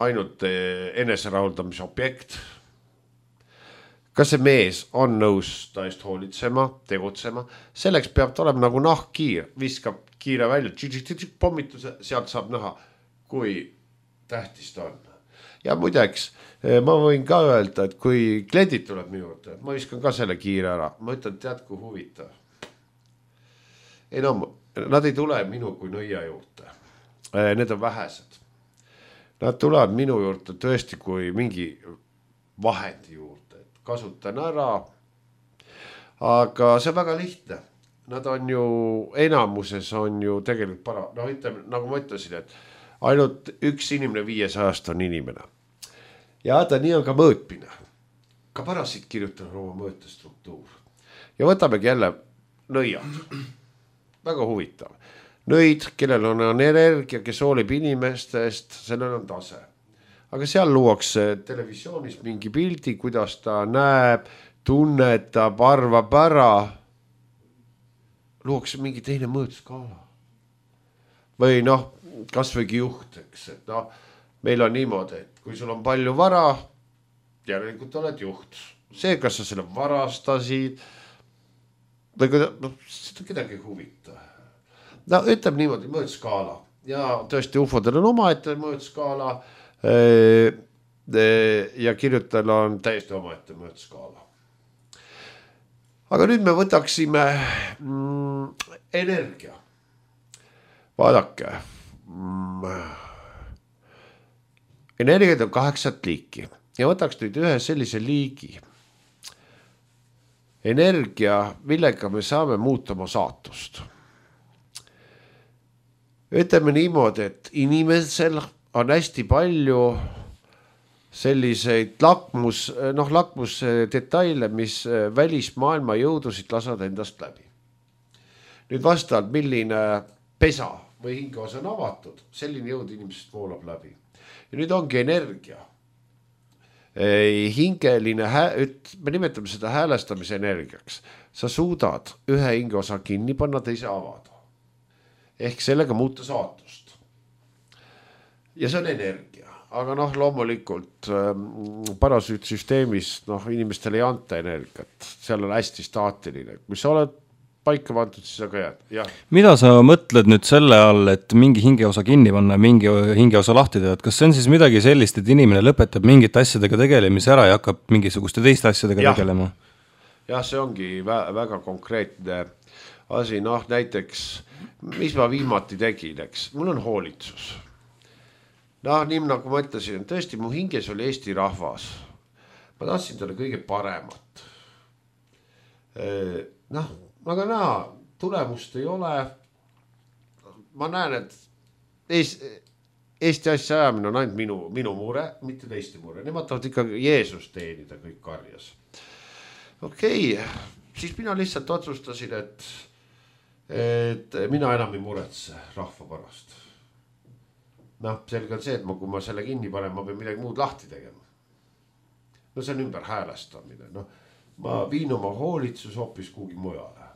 ainult eneserahuldamise objekt. kas see mees on nõus ta eest hoolitsema, tegutsema, selleks peab ta olema nagu nahkkiir, viskab kiire välja, pommituse, sealt saab näha, kui tähtis ta on. Ja muideks, ma võin ka öelda, et kui kliendid tuleb minu juurde, ma viskan ka selle kiire ära, ma ütlen, tead kui huvitav. Ei no, nad ei tule minu kui nõia juurde, need on vähesed. Nad tulevad minu juurde tõesti kui mingi vahendi juurde, et kasutan ära, aga see on väga lihtne. Nad on ju, enamuses on ju tegelikult para, noh ütleme, nagu ma ütlesin, et ainult üks inimene viiesajast on inimene. Ja ta nii on ka mõõtmine. Ka parasid kirjutan oma mõõtestruktuur. Ja võtamegi jälle nõiad. Väga huvitav. Nõid, kellel on energia, kes hoolib inimestest, sellel on tase. Aga seal luuakse televisioonis mingi pildi, kuidas ta näeb, tunnetab, arvab ära. Luuakse mingi teine mõõtskaala. Või noh, kas võigi juht, eks, et noh, meil on niimoodi, et kui sul on palju vara, järelikult oled juht. See, kas sa selle varastasid, või kui no, seda kedagi huvita. No ütleb niimoodi mõõtskaala ja tõesti ufodel on oma ette mõõtskaala ja kirjutajal on täiesti oma ette mõõtskaala. Aga nüüd me võtaksime mm, energia. Vaadake. Mm, energiat on kaheksat liiki ja võtaks nüüd ühe sellise liigi. Energia, millega me saame muuta oma saatust. Ütleme niimoodi, et inimesel on hästi palju selliseid lakmus, noh, lakmus detaile, mis välismaailma jõudusid lasavad endast läbi. Nüüd vastavalt, milline pesa või hingeosa on avatud, selline jõud inimesest voolab läbi. Ja nüüd ongi energia. Hingeline, me nimetame seda häälestamise energiaks. Sa suudad ühe hingeosa kinni panna, teise avada. Ehk sellega muuta saatust. Ja see on energia. Aga noh, loomulikult parasüütsüsteemis noh, inimestele ei anta energiat. Seal on hästi staatiline. Kui sa oled paika pandud, siis sa ka jääd. Ja. Mida sa mõtled nüüd selle all, et mingi hingeosa kinni panna, mingi hingeosa lahti teha? Kas see on siis midagi sellist, et inimene lõpetab mingite asjadega tegelemise ära ja hakkab mingisuguste teiste asjadega ja. tegelema? Jah, see ongi väga konkreetne asi. Noh, näiteks, mis ma viimati tegin, eks? Mul on hoolitsus. Noh, nii nagu ma ütlesin, tõesti mu hinges oli Eesti rahvas. Ma tahtsin talle kõige paremat. Noh, aga näha, tulemust ei ole. Ma näen, et Eesti asja ajamine on ainult minu, minu mure, mitte teiste mure. Nemad tahavad ikka Jeesus teenida kõik karjas. Okei, siis mina lihtsalt otsustasin, et, et mina enam ei muretse rahva pärast. Noh, selge on see, et ma, kui ma selle kinni panen, ma pean midagi muud lahti tegema. No see on ümber häälestamine. No, ma viin oma hoolitsus hoopis kuhugi mujale.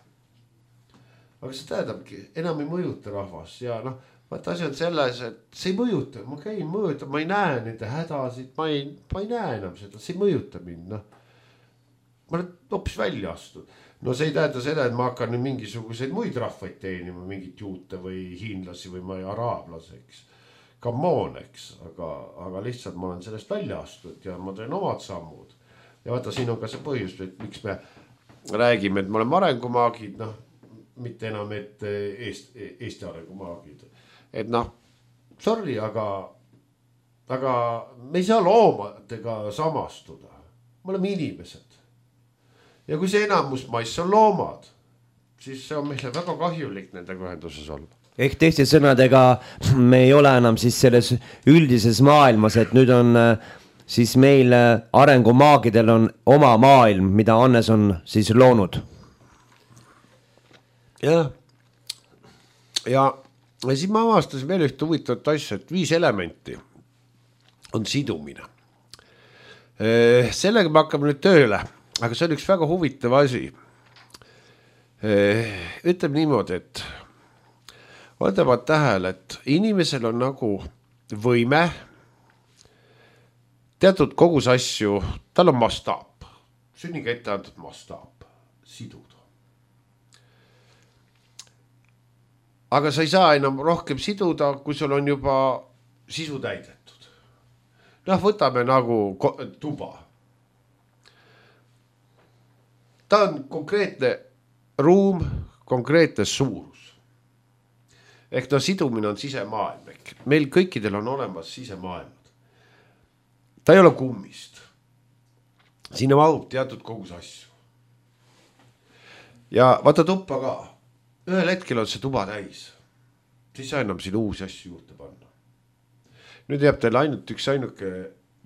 Aga see tähendabki, enam ei mõjuta rahvas. Ja noh, vaata asi on selles, et see ei mõjuta. Ma käin mõjuta, ma ei näe nende hädasid, ma ei, ma ei näe enam seda, see ei mõjuta mind. No. Ma olen hoopis välja astud. No see ei tähenda seda, et ma hakkan nüüd mingisuguseid muid rahvaid teenima, mingit juute või hiinlasi või ma ei araablaseks. Come eks, aga, aga lihtsalt ma olen sellest välja astud ja ma teen omad sammud. Ja vaata, siin on ka see põhjus, et miks me räägime, et me oleme arengumaagid, noh, mitte enam, et Eesti, Eesti arengumaagid. Et noh, sorry, aga, aga me ei saa loomadega samastuda. Me oleme inimesed. Ja kui see enamus mais on loomad, siis see on meile väga kahjulik nendega ühenduses olla. Ehk teiste sõnadega me ei ole enam siis selles üldises maailmas, et nüüd on siis meil arengumaagidel on oma maailm, mida Hannes on siis loonud. Ja, ja, ja siis ma avastasin veel ühte huvitavat asja, et viis elementi on sidumine. Sellega me hakkame nüüd tööle, aga see on üks väga huvitav asi. Ütleme niimoodi, et võtavad tähele, et inimesel on nagu võime teatud kogus asju, tal on mastaap. sünniga ette antud mastaap, siduda. Aga sa ei saa enam rohkem siduda, kui sul on juba sisu täidetud. Noh, võtame nagu tuba. Ta on konkreetne ruum, konkreetne suurus. Ehk ta sidumine on sisemaailm. Meil kõikidel on olemas sisemaailmad. Ta ei ole kummist. Sinna mahub teatud kogus asju. Ja vaata tuppa ka. Ühel hetkel on see tuba täis. Siis sa enam siin uusi asju juurde panna. Nüüd jääb teil ainult üks ainuke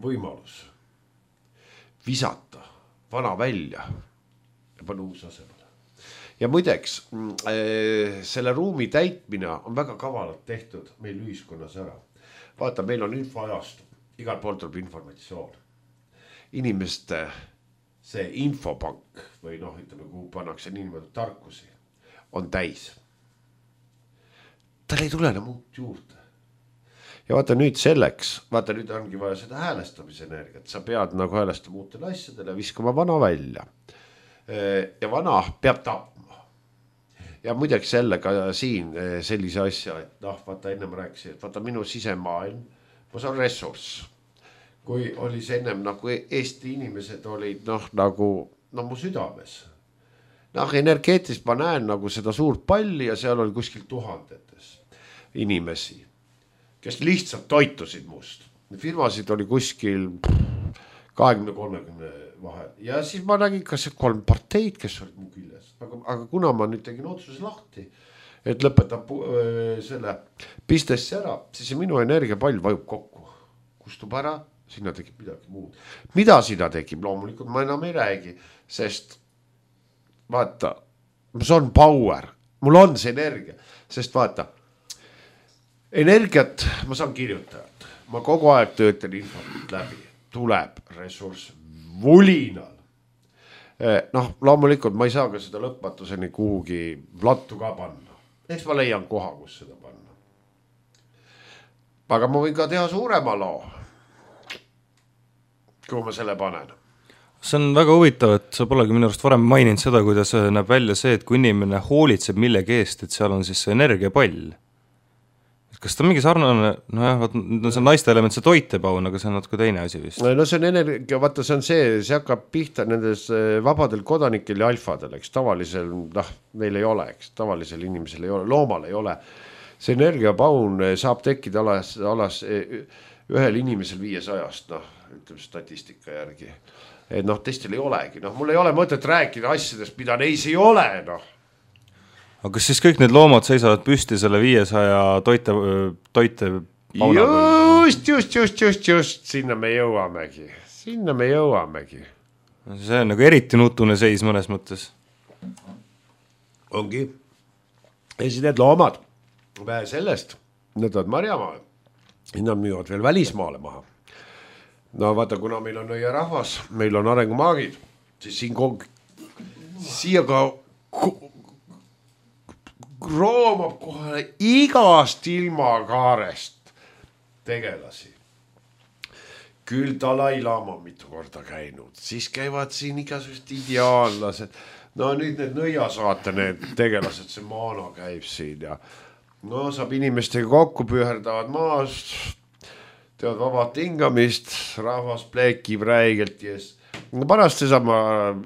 võimalus. Visata vana välja ja panna uus asemele. Ja muideks, selle ruumi täitmine on väga kavalalt tehtud meil ühiskonnas ära. Vaata, meil on infoajastu. Igal pool tuleb informatsioon. Inimeste see infopank või noh, ütleme, kuhu pannakse niimoodi tarkusi, on täis. Tal ei tule enam muud juurde. Ja vaata nüüd selleks, vaata nüüd ongi vaja seda häälestamise energiat. Sa pead nagu häälestama uutele asjadele, viskama vana välja. Ja vana peab tapma. Ja muideks sellega siin sellise asja, et noh, vaata ennem rääkisi, et vaata minu sisemaailm, ma saan ressurss. Kui oli see ennem nagu Eesti inimesed olid noh, nagu no, mu südames. Noh, energeetist ma näen nagu seda suurt palli ja seal oli kuskil tuhandetes inimesi, kes lihtsalt toitusid must. Firmasid oli kuskil kahekümne kolmekümne vahel. Ja siis ma nägin ka see kolm parteid, kes olid mu küljes. Aga, aga kuna ma nüüd tegin otsuse lahti, et lõpetab selle pistesse ära, siis minu energiapall vajub kokku. Kustub ära, sinna tekib midagi muud. Mida sinna tekib? Loomulikult ma enam ei räägi, sest vaata, see on power. Mul on see energia, sest vaata, energiat ma saan kirjutajat. Ma kogu aeg töötan infot läbi. Tuleb ressurss vulinal. Noh, loomulikult ma ei saa ka seda lõpmatuseni kuhugi plattu ka panna. Eks ma leian koha, kus seda panna. Aga ma võin ka teha suurema loo, kui ma selle panen. See on väga huvitav, et sa polegi minu arust varem maininud seda, kuidas näeb välja see, et kui inimene hoolitseb millegi eest, et seal on siis see energiapall. Kas ta on mingi sarnane, no jah, see on naiste element, see toitepaun, aga see on natuke teine asi vist. No see on energia, vaata see on see, see hakkab pihta nendes vabadel kodanikel ja alfadel, eks tavalisel, noh, meil ei ole, eks tavalisel inimesel ei ole, loomal ei ole. See energiapaun saab tekkida alas, alas ühel inimesel viiesajast, noh, ütleme statistika järgi. Et noh, teistel ei olegi, noh, mul ei ole mõtet rääkida asjadest, mida neis ei ole, noh. Aga kas siis kõik need loomad seisavad püsti selle viiesaja toite, toite pauna? Just, just, just, just, just, sinna me jõuamegi. Sinna me jõuamegi. See on nagu eriti nutune seis mõnes mõttes. Ongi. Ja siis need loomad, vähe sellest, need on marjamaal. Nad müüvad veel välismaale maha. No vaata, kuna meil on õie rahvas, meil on arengumaagid, siis siin kogu, siia ka roomab kohe igast ilmakaarest tegelasi. Küll Dalai Lama mitu korda käinud, siis käivad siin igasugused ideaallased. No nüüd need nõiasaate, need tegelased, see maana käib siin ja no saab inimestega kokku püherdavad maast, teevad vabad hingamist, rahvas pleekib räigelt yes. Pärast seesama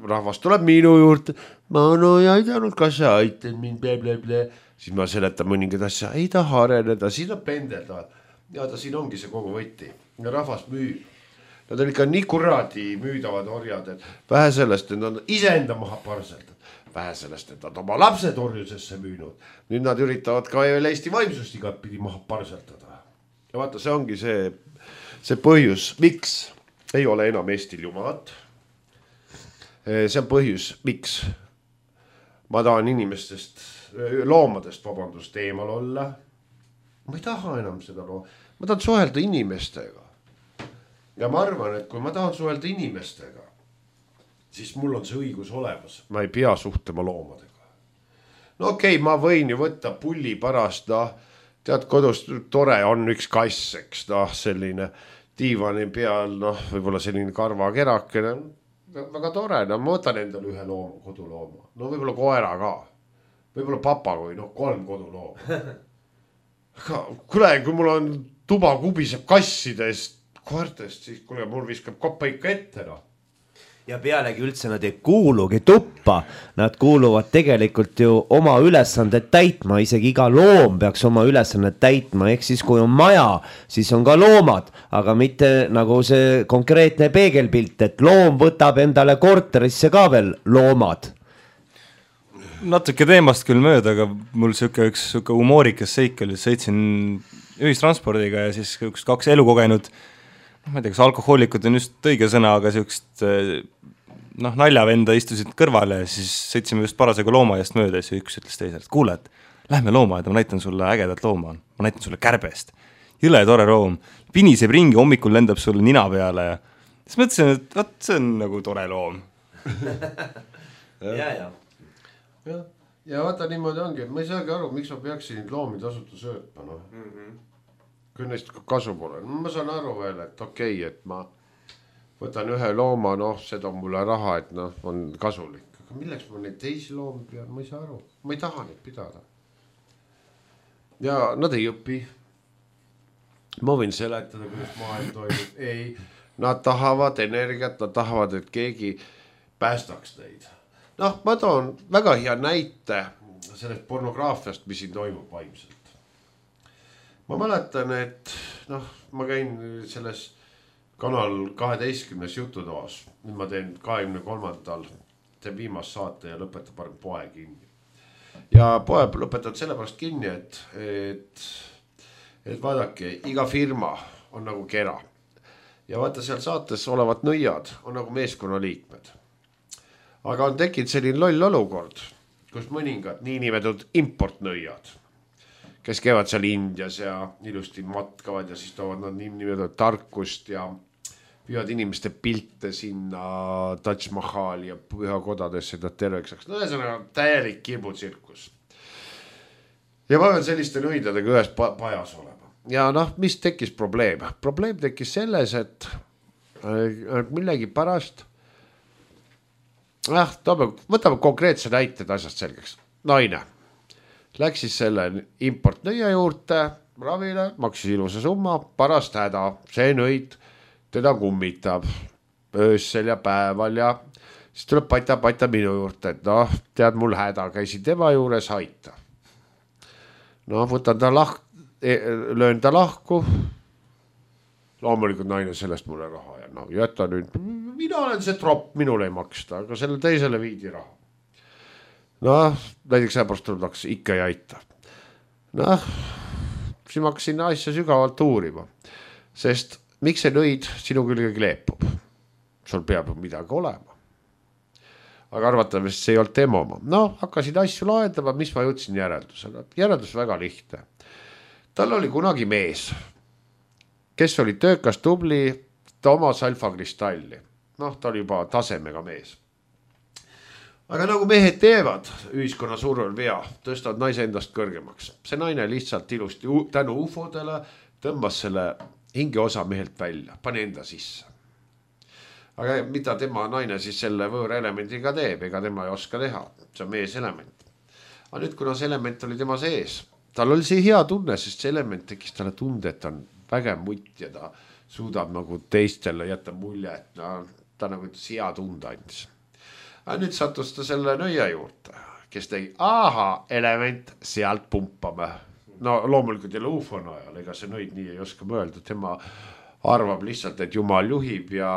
rahvas tuleb minu juurde, ma no ei aidanud, kas sa aitad mind, ble, ble, ble. Siis ma seletan mõningad asja, ei taha areneda, siin on pendeldavad. Ja ta siin ongi see kogu võtti. Ja rahvas müüb. Nad on ikka nii kuradi müüdavad orjad, et vähe sellest, et nad iseenda maha parseldad. Vähe sellest, et nad oma lapsed orjusesse müünud. Nüüd nad üritavad ka veel Eesti vaimsust igat pidi maha parseldada. Ja vaata, see ongi see, see põhjus, miks ei ole enam Eestil jumalat. See on põhjus, miks ma tahan inimestest, loomadest, vabandust, eemal olla. Ma ei taha enam seda loo. Ma tahan suhelda inimestega. Ja ma arvan, et kui ma tahan suhelda inimestega, siis mul on see õigus olemas. Ma ei pea suhtlema loomadega. No okei, okay, ma võin ju võtta pulli pärast, no, tead, kodus tore on üks kass, eks, no, selline diivani peal, noh, võib-olla selline karvakerakene, väga tore, no ma võtan endale ühe looma, kodulooma, no võib-olla koera ka, võib-olla papagoi, noh kolm kodulooma. Kuule, kui mul on tuba kubiseb kassidest, koertest, siis kuule, mul viskab koppa ikka ette, noh. Ja pealegi üldse nad ei kuulugi tuppa, nad kuuluvad tegelikult ju oma ülesanded täitma, isegi iga loom peaks oma ülesanded täitma, ehk siis kui on maja, siis on ka loomad, aga mitte nagu see konkreetne peegelpilt, et loom võtab endale korterisse ka veel loomad. Natuke teemast küll mööda, aga mul siuke üks siuke humoorikas seik oli, sõitsin ühistranspordiga ja siis üks kaks elukogenud, ma ei tea, kas alkohoolikud on just õige sõna, aga siukest noh, naljavenda istusid kõrvale ja siis sõitsime just parasega loomaiast mööda ja siis üks ütles teisele, et kuule, et lähme loomaaeda, ma näitan sulle ägedat looma, ma näitan sulle kärbest. Jõle tore loom, piniseb ringi, hommikul lendab sulle nina peale ja siis mõtlesin, et vaat see on nagu tore loom. ja, ja. Ja, ja vaata niimoodi ongi, et ma ei saagi aru, miks ma peaksin loomi tasuta söötma, noh. Mm-hmm. Kui neist kasu pole. Ma saan aru veel, et okei, okay, et ma võtan ühe looma, noh, seda on mulle raha, et noh, on kasulik. Aga milleks ma neid teisi loomi pean, ma ei saa aru. Ma ei taha neid pidada. Ja nad ei õpi. Ma võin seletada, kuidas maailm toimub. Ei, nad tahavad energiat, nad tahavad, et keegi päästaks neid. Noh, ma toon väga hea näite sellest pornograafiast, mis siin toimub vaimselt. Ma mäletan, et noh, ma käin selles kanal kaheteistkümnes jututoas. Nüüd ma teen kahekümne kolmandal teen viimast saate ja lõpetab parem poe kinni. Ja poe lõpetavad sellepärast kinni, et, et, et vaadake, iga firma on nagu kera. Ja vaata seal saates olevad nõiad on nagu meeskonna liikmed. Aga on tekkinud selline loll olukord, kus mõningad niinimetud importnõiad, kes käivad seal Indias ja ilusti matkavad ja siis toovad nad niimoodi tarkust ja püüavad inimeste pilte sinna Taj Mahali ja pühakodadesse, et nad terveks saaks. No ühesõnaga täielik kirbutsirkus. Ja ma pean selliste nõidadega ühes pajas olema. Ja noh, mis tekkis probleem? Probleem tekkis selles, et millegi pärast, ah, võtame konkreetse näited asjast selgeks. Naine läks siis selle importnõia juurde, ravile, maksis ilusa summa, parast häda, see nõid teda kummitab öössel ja päeval ja siis tuleb pata-pata minu juurde, et noh, tead mul häda, käisin tema juures, aita. No võtan ta lahk, löön ta lahku, loomulikult naine sellest mulle raha ja no jäta nüüd, mina olen see tropp, minule ei maksta, aga selle teisele viidi raha. Noh, näiteks äpärast tuleb taks, ikka ei aita. Noh, siis ma hakkasin asja sügavalt uurima, sest miks see nõid sinu külge kleepub? Sul peab midagi olema. Aga arvatavasti see ei olnud tema oma. Noh, hakkasin asju lahendama, mis ma jõudsin järeldusele. Järeldus väga lihtne. Tal oli kunagi mees, kes oli töökas tubli, ta omas alfakristalli. Noh, ta oli juba tasemega mees. Aga nagu mehed teevad ühiskonna survel vea, tõstavad naise endast kõrgemaks. See naine lihtsalt ilusti tänu ufodele tõmbas selle hingeosa mehelt välja, pani enda sisse. Aga mida tema naine siis selle võõra elemendiga teeb, ega tema ei oska teha, see on mees element. Aga nüüd, kuna see element oli tema sees, tal oli see hea tunne, sest see element tekis talle tunde, et ta on vägev mutt ja ta suudab nagu teistele jätta mulje, et no, ta nagu hea tunde andis. Aga nüüd sattus ta selle nõia juurde, kes tegi, aha, element, sealt pumpame. No loomulikult jälle ufon ajal, ega see nõid nii ei oska mõelda, tema arvab lihtsalt, et Jumal juhib ja,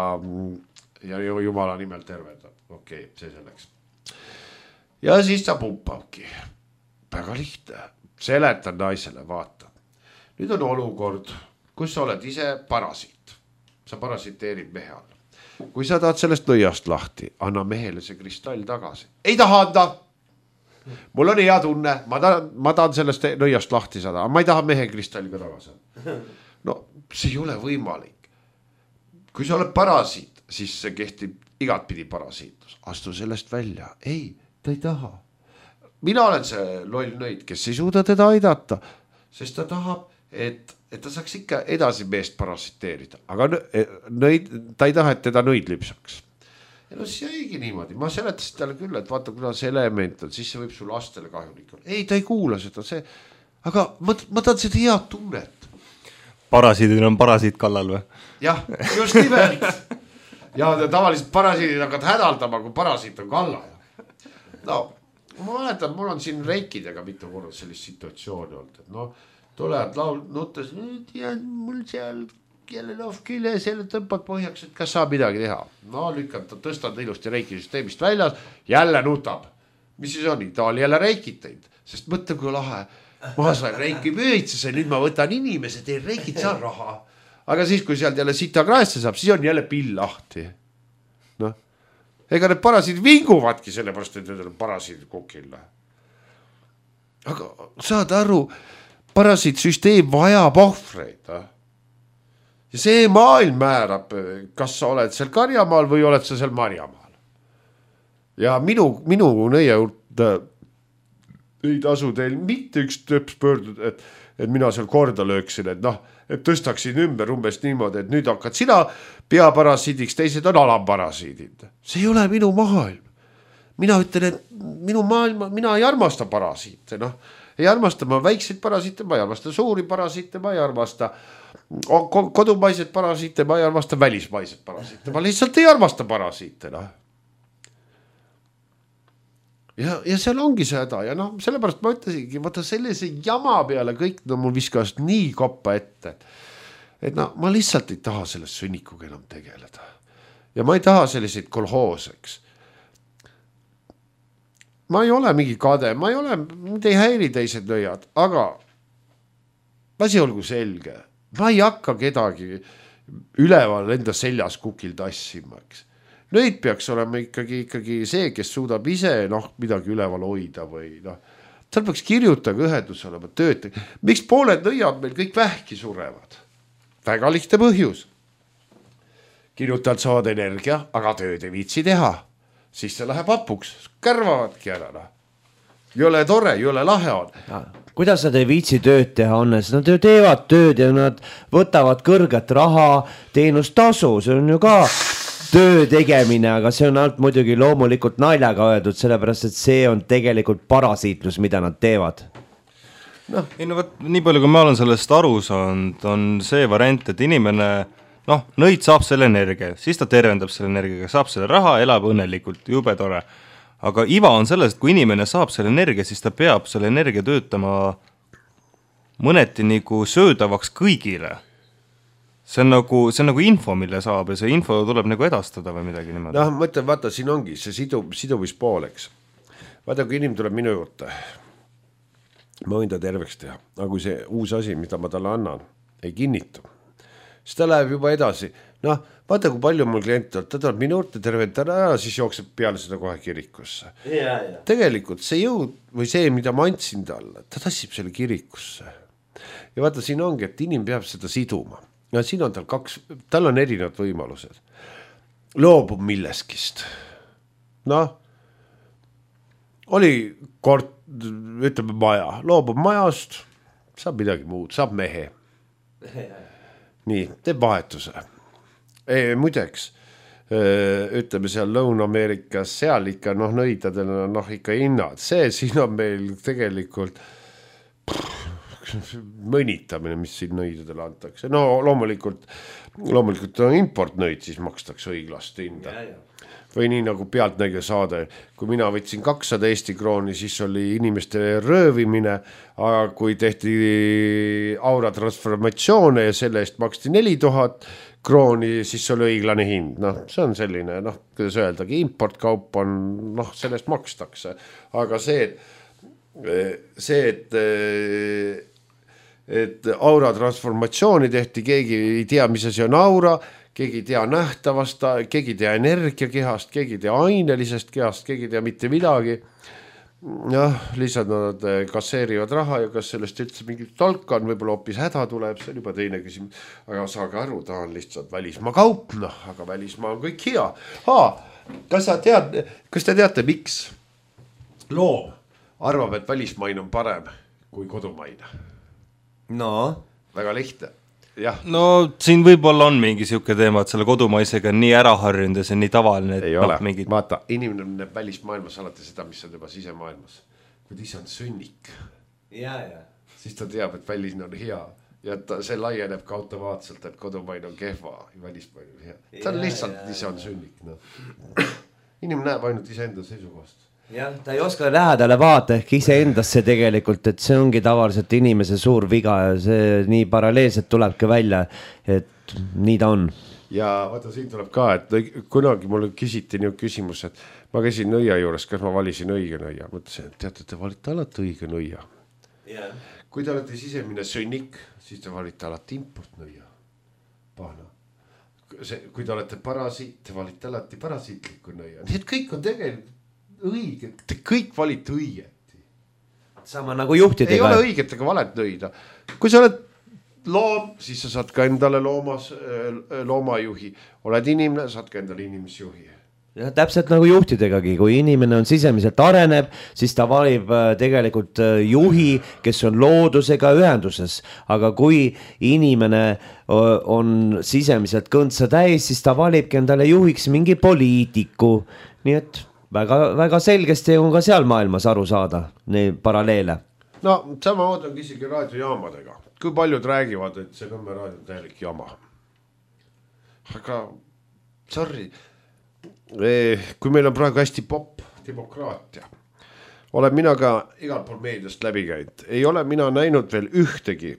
ja Jumala nimel tervedab. Okei, okay, see selleks. Ja siis ta pumpabki. Väga lihtne. Seletan naisele, vaata. Nüüd on olukord, kus sa oled ise parasiit. Sa parasiteerid mehe all. Kui sa tahad sellest nõiast lahti, anna mehele see kristall tagasi. Ei taha anda. Mul on hea tunne, ma tahan, ma tahan sellest nõiast lahti saada, aga ma ei taha mehe kristalliga tagasi. No see ei ole võimalik. Kui sa oled parasiit, siis see kehtib igatpidi parasiitus. Astu sellest välja. Ei, ta ei taha. Mina olen see loll nõid, kes ei suuda teda aidata, sest ta tahab, et et ta saaks ikka edasi meest parasiteerida, aga nõid, ta ei taha, et teda nõid lüpsaks. ja no siis jäigi niimoodi, ma seletasin talle küll, et vaata, kuna see element on, siis see võib su lastele kahjulik olla. Ei, ta ei kuula seda, see, aga ma, ma tahan seda head tunnet. Parasiidil on parasiit kallal või? Jah, just nimelt. Ja tavaliselt parasiidid hakkad hädaldama, kui parasiit on kalla. No, ma mäletan, mul on siin reikidega mitu korda sellist situatsiooni olnud, et no, tulevad laul, nuttes, ja mul seal jälle noh küljes, jälle tõmpad põhjaks, et kas saab midagi teha. No lükkad, tõstad ilusti reiki süsteemist väljas, jälle nutab. Mis siis on? Ta oli jälle reikid teinud, sest mõtle, kui lahe. Ma sain reiki püüitsuse, nüüd ma võtan inimese, teen reikid, saan raha. Aga siis, kui sealt jälle sita kraesse saab, siis on jälle pill lahti. Noh, ega need parasiid vinguvadki sellepärast, et need on parasiid kukil. Aga saad aru, parasiitsüsteem vajab ohvreid. Ja see maailm määrab, kas sa oled seal Karjamaal või oled sa seal Marjamaal. Ja minu, minu nõie juurde ei tasu teil mitte üks töps pöördud, et, et mina seal korda lööksin, et noh, et tõstaksin ümber umbes niimoodi, et nüüd hakkad sina peaparasiidiks, teised on alamparasiidid. See ei ole minu maailm. Mina ütlen, et minu maailma, mina ei armasta parasiite, noh. Ei armasta ma väikseid parasiite, ma ei armasta suuri parasiite, ma ei armasta kodumaised parasiite, ma ei armasta välismaised parasiite, ma lihtsalt ei armasta parasiite. No. Ja, ja seal ongi see häda ja noh, sellepärast ma ütlesingi, vaata sellise jama peale kõik no mul viskas nii koppa ette, et no ma lihtsalt ei taha sellest sünnikuga enam tegeleda. Ja ma ei taha selliseid kolhooseks. Ma ei ole mingi kade, ma ei ole, mind ei häiri teised nõiad, aga asi olgu selge. Ma ei hakka kedagi üleval enda seljas kukil tassima. Nüüd peaks olema ikkagi, ikkagi see, kes suudab ise noh, midagi üleval hoida või noh. Tal peaks kirjutage ühendus olema tööd. Miks pooled nõiad meil kõik vähki surevad? Väga lihtne põhjus. Kirjutajad saavad energia, aga tööd ei viitsi teha. Siis see läheb apuks, kärvavadki ära. No. Jõle tore, jõle lahe on. Ja, kuidas nad ei viitsi tööd teha on? Nad ju teevad tööd ja nad võtavad kõrget raha, teenustasu, see on ju ka töö tegemine, aga see on alt muidugi loomulikult naljaga öeldud, sellepärast et see on tegelikult parasiitlus, mida nad teevad. No. Ei, no võt, nii palju, kui ma olen sellest aru saanud, on see variant, et inimene noh, nõid saab selle energia, siis ta tervendab selle energiaga, saab selle raha, elab õnnelikult, jube tore. Aga iva on selles, et kui inimene saab selle energia, siis ta peab selle energia töötama mõneti nagu söödavaks kõigile. See on nagu, see on nagu info, mille saab ja see info tuleb nagu edastada või midagi niimoodi. Noh, mõtlen, vaata, siin ongi see sidu, sidumispooleks. Vaata, kui inimene tuleb minu juurde, ma võin ta terveks teha, aga kui see uus asi, mida ma talle annan, ei kinnitu, siis ta läheb juba edasi. Noh, vaata, kui palju mul kliente on, ta tuleb minu juurde tervendada ära, siis jookseb peale seda kohe kirikusse. Ja, ja. Tegelikult see jõud või see, mida ma andsin talle, ta tassib selle kirikusse. Ja vaata, siin ongi, et inim peab seda siduma. Ja siin on tal kaks, tal on erinevad võimalused. Loobub milleskist. Noh, oli kord, ütleme maja, loobub majast, saab midagi muud, saab mehe. Nii, teeb vahetuse. Ei, muideks, ütleme seal Lõuna-Ameerikas, seal ikka noh, nõidadel on noh, ikka hinnad. See siin on meil tegelikult pff, mõnitamine, mis siin nõidadele antakse. No loomulikult, loomulikult on importnõid, siis makstakse õiglast hinda. Ja, ja. Või nii nagu pealtnägija saade, kui mina võtsin kakssada Eesti krooni, siis oli inimeste röövimine, aga kui tehti aura transformatsioone ja selle eest maksti neli tuhat krooni, siis oli õiglane hind. Noh, see on selline, noh, kuidas öeldagi, importkaup on, noh, sellest makstakse. Aga see, see, et, et aura transformatsiooni tehti, keegi ei tea, mis asi on aura, keegi ei tea nähtavast, keegi ei tea energiakehast, keegi ei tea ainelisest kehast, keegi ei tea mitte midagi. Jah, lihtsalt nad kasseerivad raha ja kas sellest üldse mingit tolka on, võib-olla hoopis häda tuleb, see on juba teine küsimus. Aga saage aru, ta on lihtsalt välismaa kaup, noh, aga välismaa on kõik hea. Haa, kas sa tead, kas te teate, miks loom arvab, et välismaine on parem kui kodumaine? No? Väga lihtne. jah. no siin võib-olla on mingi siuke teema, et selle kodumaisega on nii ära harjunud ja see on nii tavaline. Ei ole, no, mingid... vaata, inimene näeb välismaailmas alati seda, mis on juba sisemaailmas. Kui ise on sünnik, ja, ja. siis ta teab, et väline on hea ja ta, see laieneb ka automaatselt, et kodumaine on kehva ja välismaine on hea. Ta on lihtsalt, ja, ise on sünnik. No. Inimene näeb ainult ise enda seisukohast. Jah, ta ei oska lähedale vaata ehk ise endasse tegelikult, et see ongi tavaliselt inimese suur viga ja see nii paralleelselt tulebki välja, et nii ta on. Ja vaata, siin tuleb ka, et kunagi mulle küsiti nii küsimus, et ma käisin nõia juures, kas ma valisin õige nõia. Mõtlesin, et teate, te valite alati õige nõia. Yeah. Kui te olete sisemine sünnik, siis te valite alati import nõia. Pahna. See, kui te olete parasiit, te valite alati parasiitliku nõia. Nii et kõik on tegelikult õige, te kõik valite õigeti. Sama nagu juhtidega. Ei ole õiget ega valet nõida. Kui sa oled loom, siis sa saad ka endale loomas, loomajuhi. Oled inimene, saad ka endale inimesjuhi. Ja täpselt nagu juhtidegagi, kui inimene on sisemiselt areneb, siis ta valib tegelikult juhi, kes on loodusega ühenduses. Aga kui inimene on sisemiselt kõntsa täis, siis ta valibki endale juhiks mingi poliitiku. Nii et väga, väga selgesti on ka seal maailmas aru saada neid paralleele. No sama moodi on isegi raadiojaamadega. Kui paljud räägivad, et see Nõmme raadio on täielik jama. Aga sorry, kui meil on praegu hästi pop demokraatia, olen mina ka igal pool meediast läbi käinud. Ei ole mina näinud veel ühtegi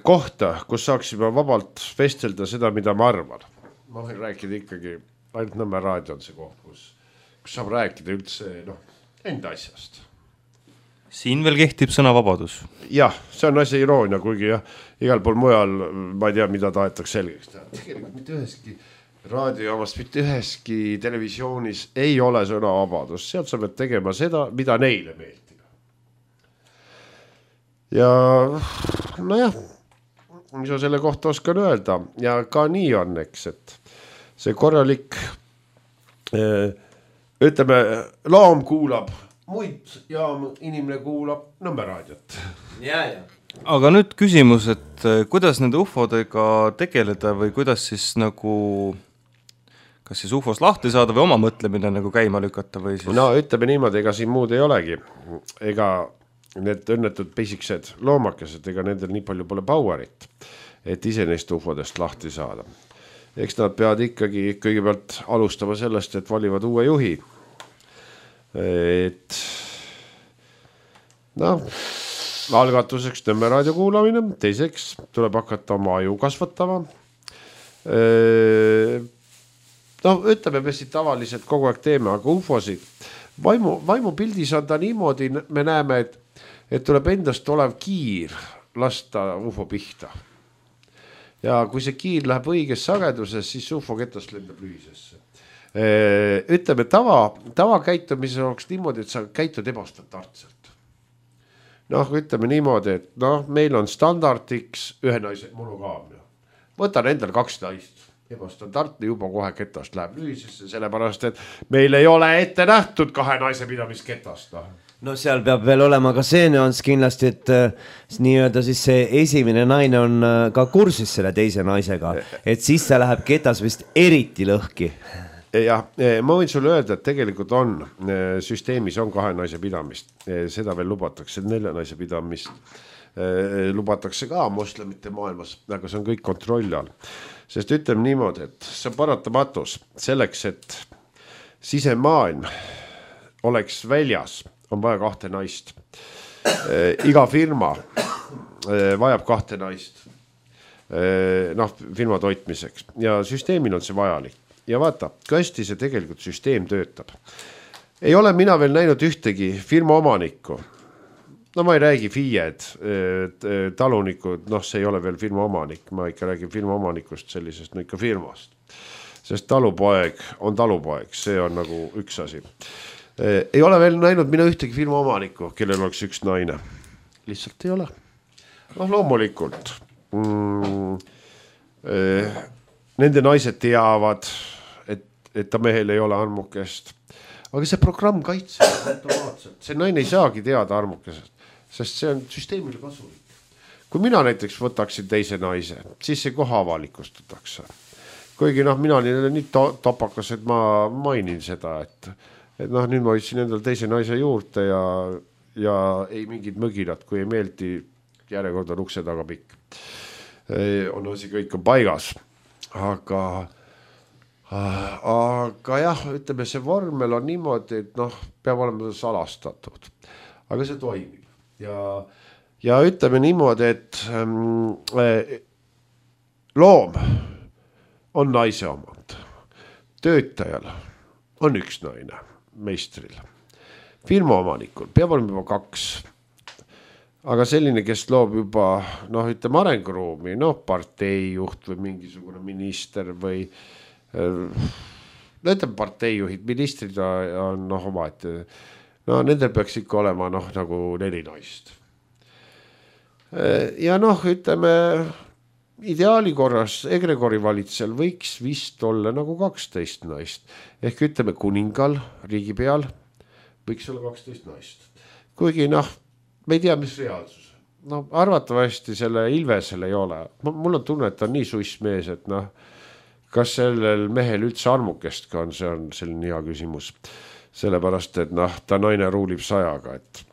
kohta, kus saaksime vabalt vestelda seda, mida ma arvan. Ma võin rääkida ikkagi ainult Nõmme raadio on see koht, kus, kus saab rääkida üldse no, enda asjast. Siin veel kehtib sõnavabadus. Jah, see on asja iroonia, kuigi jah, igal pool mujal ma ei tea, mida tahetakse selgeks teha. Tegelikult mitte üheski raadiojaamast, mitte üheski televisioonis ei ole sõnavabadus. Sealt sa pead tegema seda, mida neile meeldib. Ja nojah, mis ma selle kohta oskan öelda ja ka nii on, eks, et see korralik, ütleme, loom kuulab muid ja inimene kuulab Nõmme raadiot. Ja, ja. Aga nüüd küsimus, et kuidas nende ufodega tegeleda või kuidas siis nagu, kas siis ufos lahti saada või oma mõtlemine nagu käima lükata või siis? No ütleme niimoodi, ega siin muud ei olegi. Ega need õnnetud pisiksed loomakesed, ega nendel nii palju pole powerit, et ise neist ufodest lahti saada. Eks nad peavad ikkagi kõigepealt alustama sellest, et valivad uue juhi. Et noh, algatuseks Nõmme raadio kuulamine, teiseks tuleb hakata oma aju kasvatama. No ütleme, me siit tavaliselt kogu aeg teeme, aga ufosid, vaimu, vaimu pildis on ta niimoodi, me näeme, et, et tuleb endast olev kiir lasta ufo pihta. Ja kui see kiir läheb õiges sageduses, siis ufo ketast lendab lühisesse. Ütleme, tava, tava käitumise oleks niimoodi, et sa käitud ebastandartselt. Noh, ütleme niimoodi, et noh, meil on standardiks ühe naise monogaamia. Võtan endal kaks naist. Ebastandartne juba kohe ketast läheb lühisesse, sellepärast, et meil ei ole ette nähtud kahe naise pidamist ketast. No seal peab veel olema ka see nüanss kindlasti, et nii-öelda siis see esimene naine on ka kursis selle teise naisega, et siis see läheb ketas vist eriti lõhki. Ja ma võin sulle öelda, et tegelikult on, süsteemis on kahe naise pidamist, seda veel lubatakse, nelja naise pidamist lubatakse ka moslemite maailmas, aga see on kõik kontrolli all. Sest ütleme niimoodi, et see on paratamatus selleks, et sisemaailm oleks väljas, on vaja kahte naist. Iga firma vajab kahte naist noh, firma toitmiseks ja süsteemil on see vajalik. Ja vaata, kui hästi see tegelikult süsteem töötab. Ei ole mina veel näinud ühtegi firma omanikku. No ma ei räägi FIE-d, talunikud, noh see ei ole veel firma omanik, ma ikka räägin firma omanikust sellisest, no ikka firmast. Sest talupoeg on talupoeg, see on nagu üks asi. Ei ole veel näinud mina ühtegi firma omanikku, kellel oleks üks naine. Lihtsalt ei ole. noh, loomulikult mm, eh, nende naised teavad, et, et ta mehel ei ole armukest, aga see programm kaitseb automaatselt, see naine ei saagi teada armukesest, sest see on süsteemile kasulik. kui mina näiteks võtaksin teise naise, siis see koha avalikustatakse. Kuigi noh, mina olin nii to- topakas, et ma mainin seda, et, et noh, nüüd ma võtsin endal teise naise juurde ja, ja ei mingid mögilad, kui ei meeldi, järjekord on ukse taga pikk. On asi, kõik on paigas. Aga, aga jah, ütleme, see vormel on niimoodi, et noh, peab olema salastatud. Aga see toimib. Ja, ja ütleme niimoodi, et ähm, loom on naise omand. Töötajal on üks naine, meistril. Firma omanikul peab olema juba kaks. Aga selline, kes loob juba, noh, ütleme arenguruumi, noh, parteijuht või mingisugune minister või ütleme parteijuhid, ministrid on noh oma, et no nendel peaks ikka olema noh, nagu neli naist. Ja noh, ütleme ideaali korras egregori valitsel võiks vist olla nagu kaksteist naist. Ehk ütleme kuningal, riigipeal võiks olla kaksteist naist. Kuigi noh, me ei tea, mis reaalsus. No arvatavasti selle Ilvesel ei ole. Mul on tunne, et ta on nii suiss mees, et noh, kas sellel mehel üldse armukest ka on, see on selline hea küsimus. Sellepärast, et noh, ta naine ruulib sajaga, et,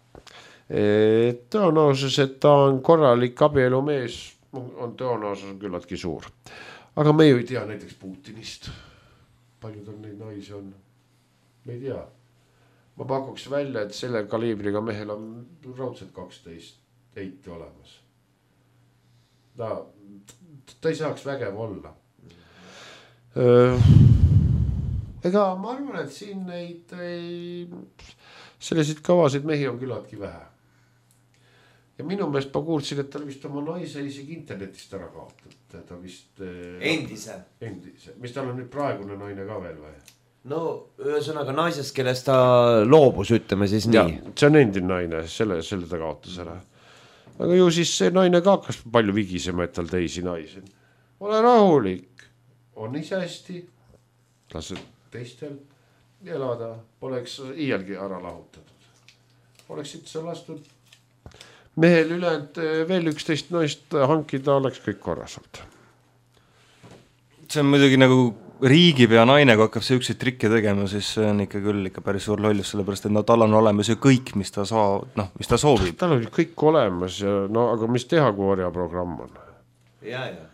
et tõenäosus, et ta on korralik abielu mees, on tõenäosus küllaltki suur. Aga me ju ei tea näiteks Putinist. Paljud on neid naisi on. Me ei tea. Ma pakuks välja, et selle kaliibriga mehel on raudselt kaksteist eiti olemas. Ta, ta ei saaks vägev olla. Ega ma arvan, et siin neid ei, selliseid kavasid mehi on küllaltki vähe. Ja minu meelest ma kuulsin, et ta vist oma naise isegi internetist ära kaotab. Ta vist... Endise. Endise. Mis tal on nüüd praegune naine ka veel või? No ühesõnaga naisest, kellest ta loobus, ütleme siis nii. Ja, see on endine naine, selle, selle ta kaotas ära. Aga ju siis see naine ka hakkas palju vigisema, et tal teisi naisi. Ole rahulik, on ise hästi, lased teistel elada, poleks iialgi ära lahutatud. Oleksid sa lastud mehel ülejäänud veel üksteist naist hankida, oleks kõik korrasalt. See on muidugi nagu riigipea naine, kui hakkab see üksid trikke tegema, siis see on ikka küll ikka päris suur lollus, sellepärast, et no tal on olemas ju kõik, mis ta, saa, no, mis ta soovib. Tal on kõik olemas, ja, no, aga mis teha, kui orjaprogramm on? Ja, ja.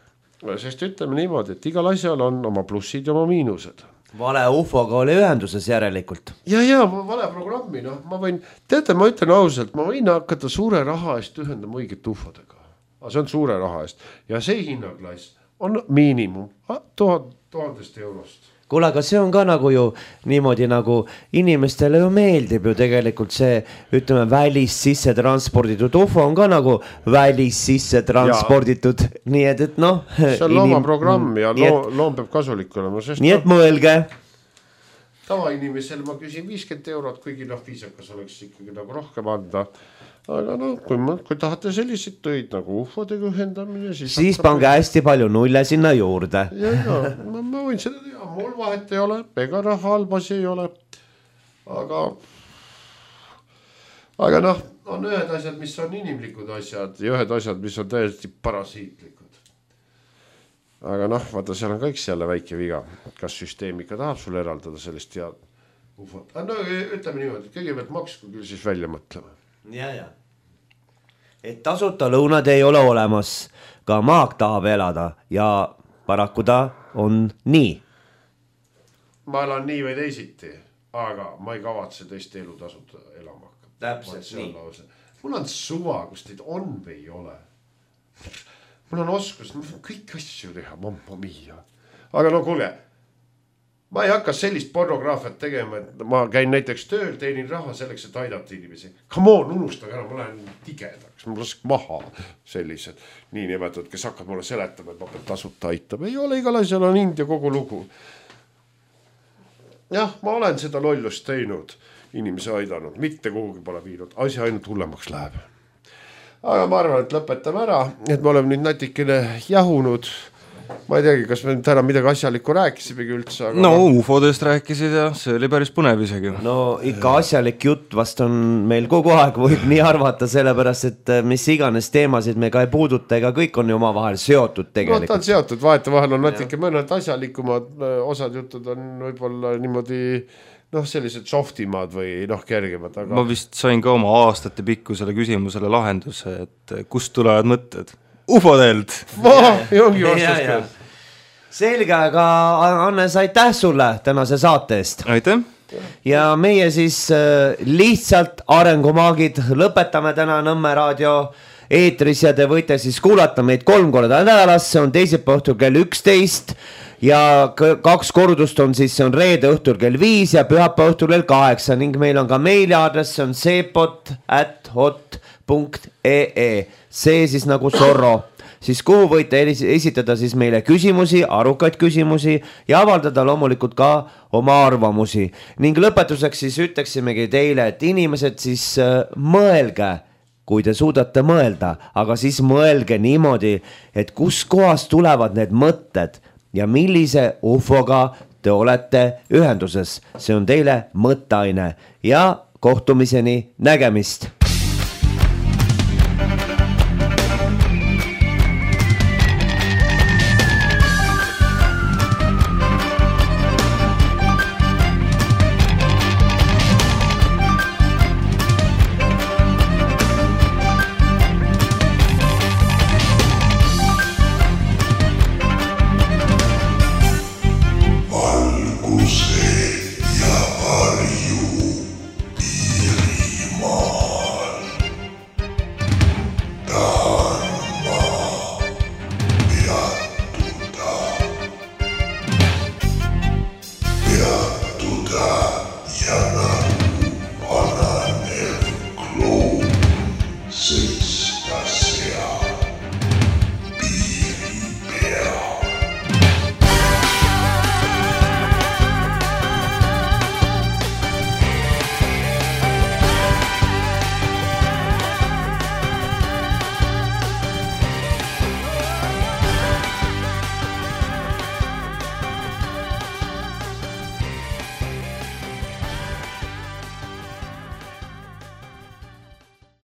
Sest ütleme niimoodi, et igal asjal on oma plussid ja oma miinused. Vale ufoga oli ühenduses järelikult. Ja, ja, vale programmi, noh, ma võin, teate, ma ütlen ausalt, ma võin hakata suure raha eest ühendama õiget ufodega. Aga see on suure raha eest. Ja see hinnaklass on miinimum tuhat, tuhandest eurost. Kuule, aga see on ka nagu ju niimoodi nagu inimestele ju meeldib ju tegelikult see, ütleme, välis sisse transporditud ufo on ka nagu välis sisse transporditud, ja. Nii et, et noh. See on inim... looma programm ja loo, loom peab kasulik olema. Sest nii et mõelge. Tavainimesel ma küsin viiskümmend eurot, kuigi noh, viisakas oleks ikkagi nagu rohkem anda. Aga no, kui, ma, kui tahate selliseid töid nagu ufodega ühendamine, siis... Siis pange hästi palju nulle sinna juurde. Ja, ja, ma, ma võin seda teha, mul vahet ei ole, ega raha halbasi ei ole. Aga, aga noh, on ühed asjad, mis on inimlikud asjad ja ühed asjad, mis on täiesti parasiitlikud. Aga noh, vaata, seal on kõik selle väike viga. Kas süsteem ikka tahab sulle eraldada sellist ja ufot? No ütleme niimoodi, kõigepealt maksku küll siis välja mõtlema. Ja, ja. Et tasuta lõunad ei ole olemas, ka maak tahab elada ja paraku ta on nii. Ma elan nii või teisiti, aga ma ei kavatse teiste elu tasuta elama hakata. Täpselt nii. Lause. Mul on suva, kus teid on või ei ole. Mul on oskus, ma võin kõik asju teha, mamma mia. Aga no kuule, ma ei hakka sellist pornograafiat tegema, et ma käin näiteks tööl, teenin raha selleks, et aidata inimesi. Come on, unustage ära, ma lähen tigedaks, ma lask maha sellised nii nimetatud, kes hakkab mulle seletama, et ma pean tasuta aitama. Ei ole, igal asjal on India kogu lugu. Jah, ma olen seda lollust teinud, inimesi aidanud, mitte kuhugi pole viinud, asja ainult hullemaks läheb. Aga ma arvan, et lõpetame ära, et me oleme nüüd natikene jahunud ma ei teagi, kas me täna midagi asjalikku rääkisimegi üldse, aga no ufodest rääkisid ja see oli päris põnev isegi. No ikka asjalik jutt vast on meil kogu aeg, võib nii arvata, sellepärast, et mis iganes teemasid me ka ei puuduta, ega kõik on ju omavahel seotud tegelikult. No ta on seotud, vahet vahel on natuke mõned asjalikumad, osad jutud on võib-olla niimoodi noh, sellised softimad või noh, kergemad. Aga... ma vist sain ka oma aastate pikkusele küsimusele lahenduse, et kust tulevad mõtted? Ufodelt! Ma, jongi vastus küll. Selge, aga Hannes, aitäh sulle tänase saate eest. Aitäh. Ja meie siis äh, lihtsalt arengumaagid lõpetame täna Nõmme raadio eetris ja te võite siis kuulata meid kolm korda nädalas, see on teisipäeva õhtul kell üksteist ja kaks kordust on siis, see on reede õhtul kell viis ja pühapäeva õhtul kell kaheksa ning meil on ka meiliaadress, see on seepot at hot punkt ee, see siis nagu Zorro. Siis kuhu võite esitada siis meile küsimusi, arukaid küsimusi ja avaldada loomulikult ka oma arvamusi. Ning lõpetuseks siis ütleksimegi teile, et inimesed siis mõelge, kui te suudate mõelda, aga siis mõelge niimoodi, et kus kohas tulevad need mõtted ja millise ufoga te olete ühenduses. See on teile mõtteaine ja kohtumiseni, nägemist! See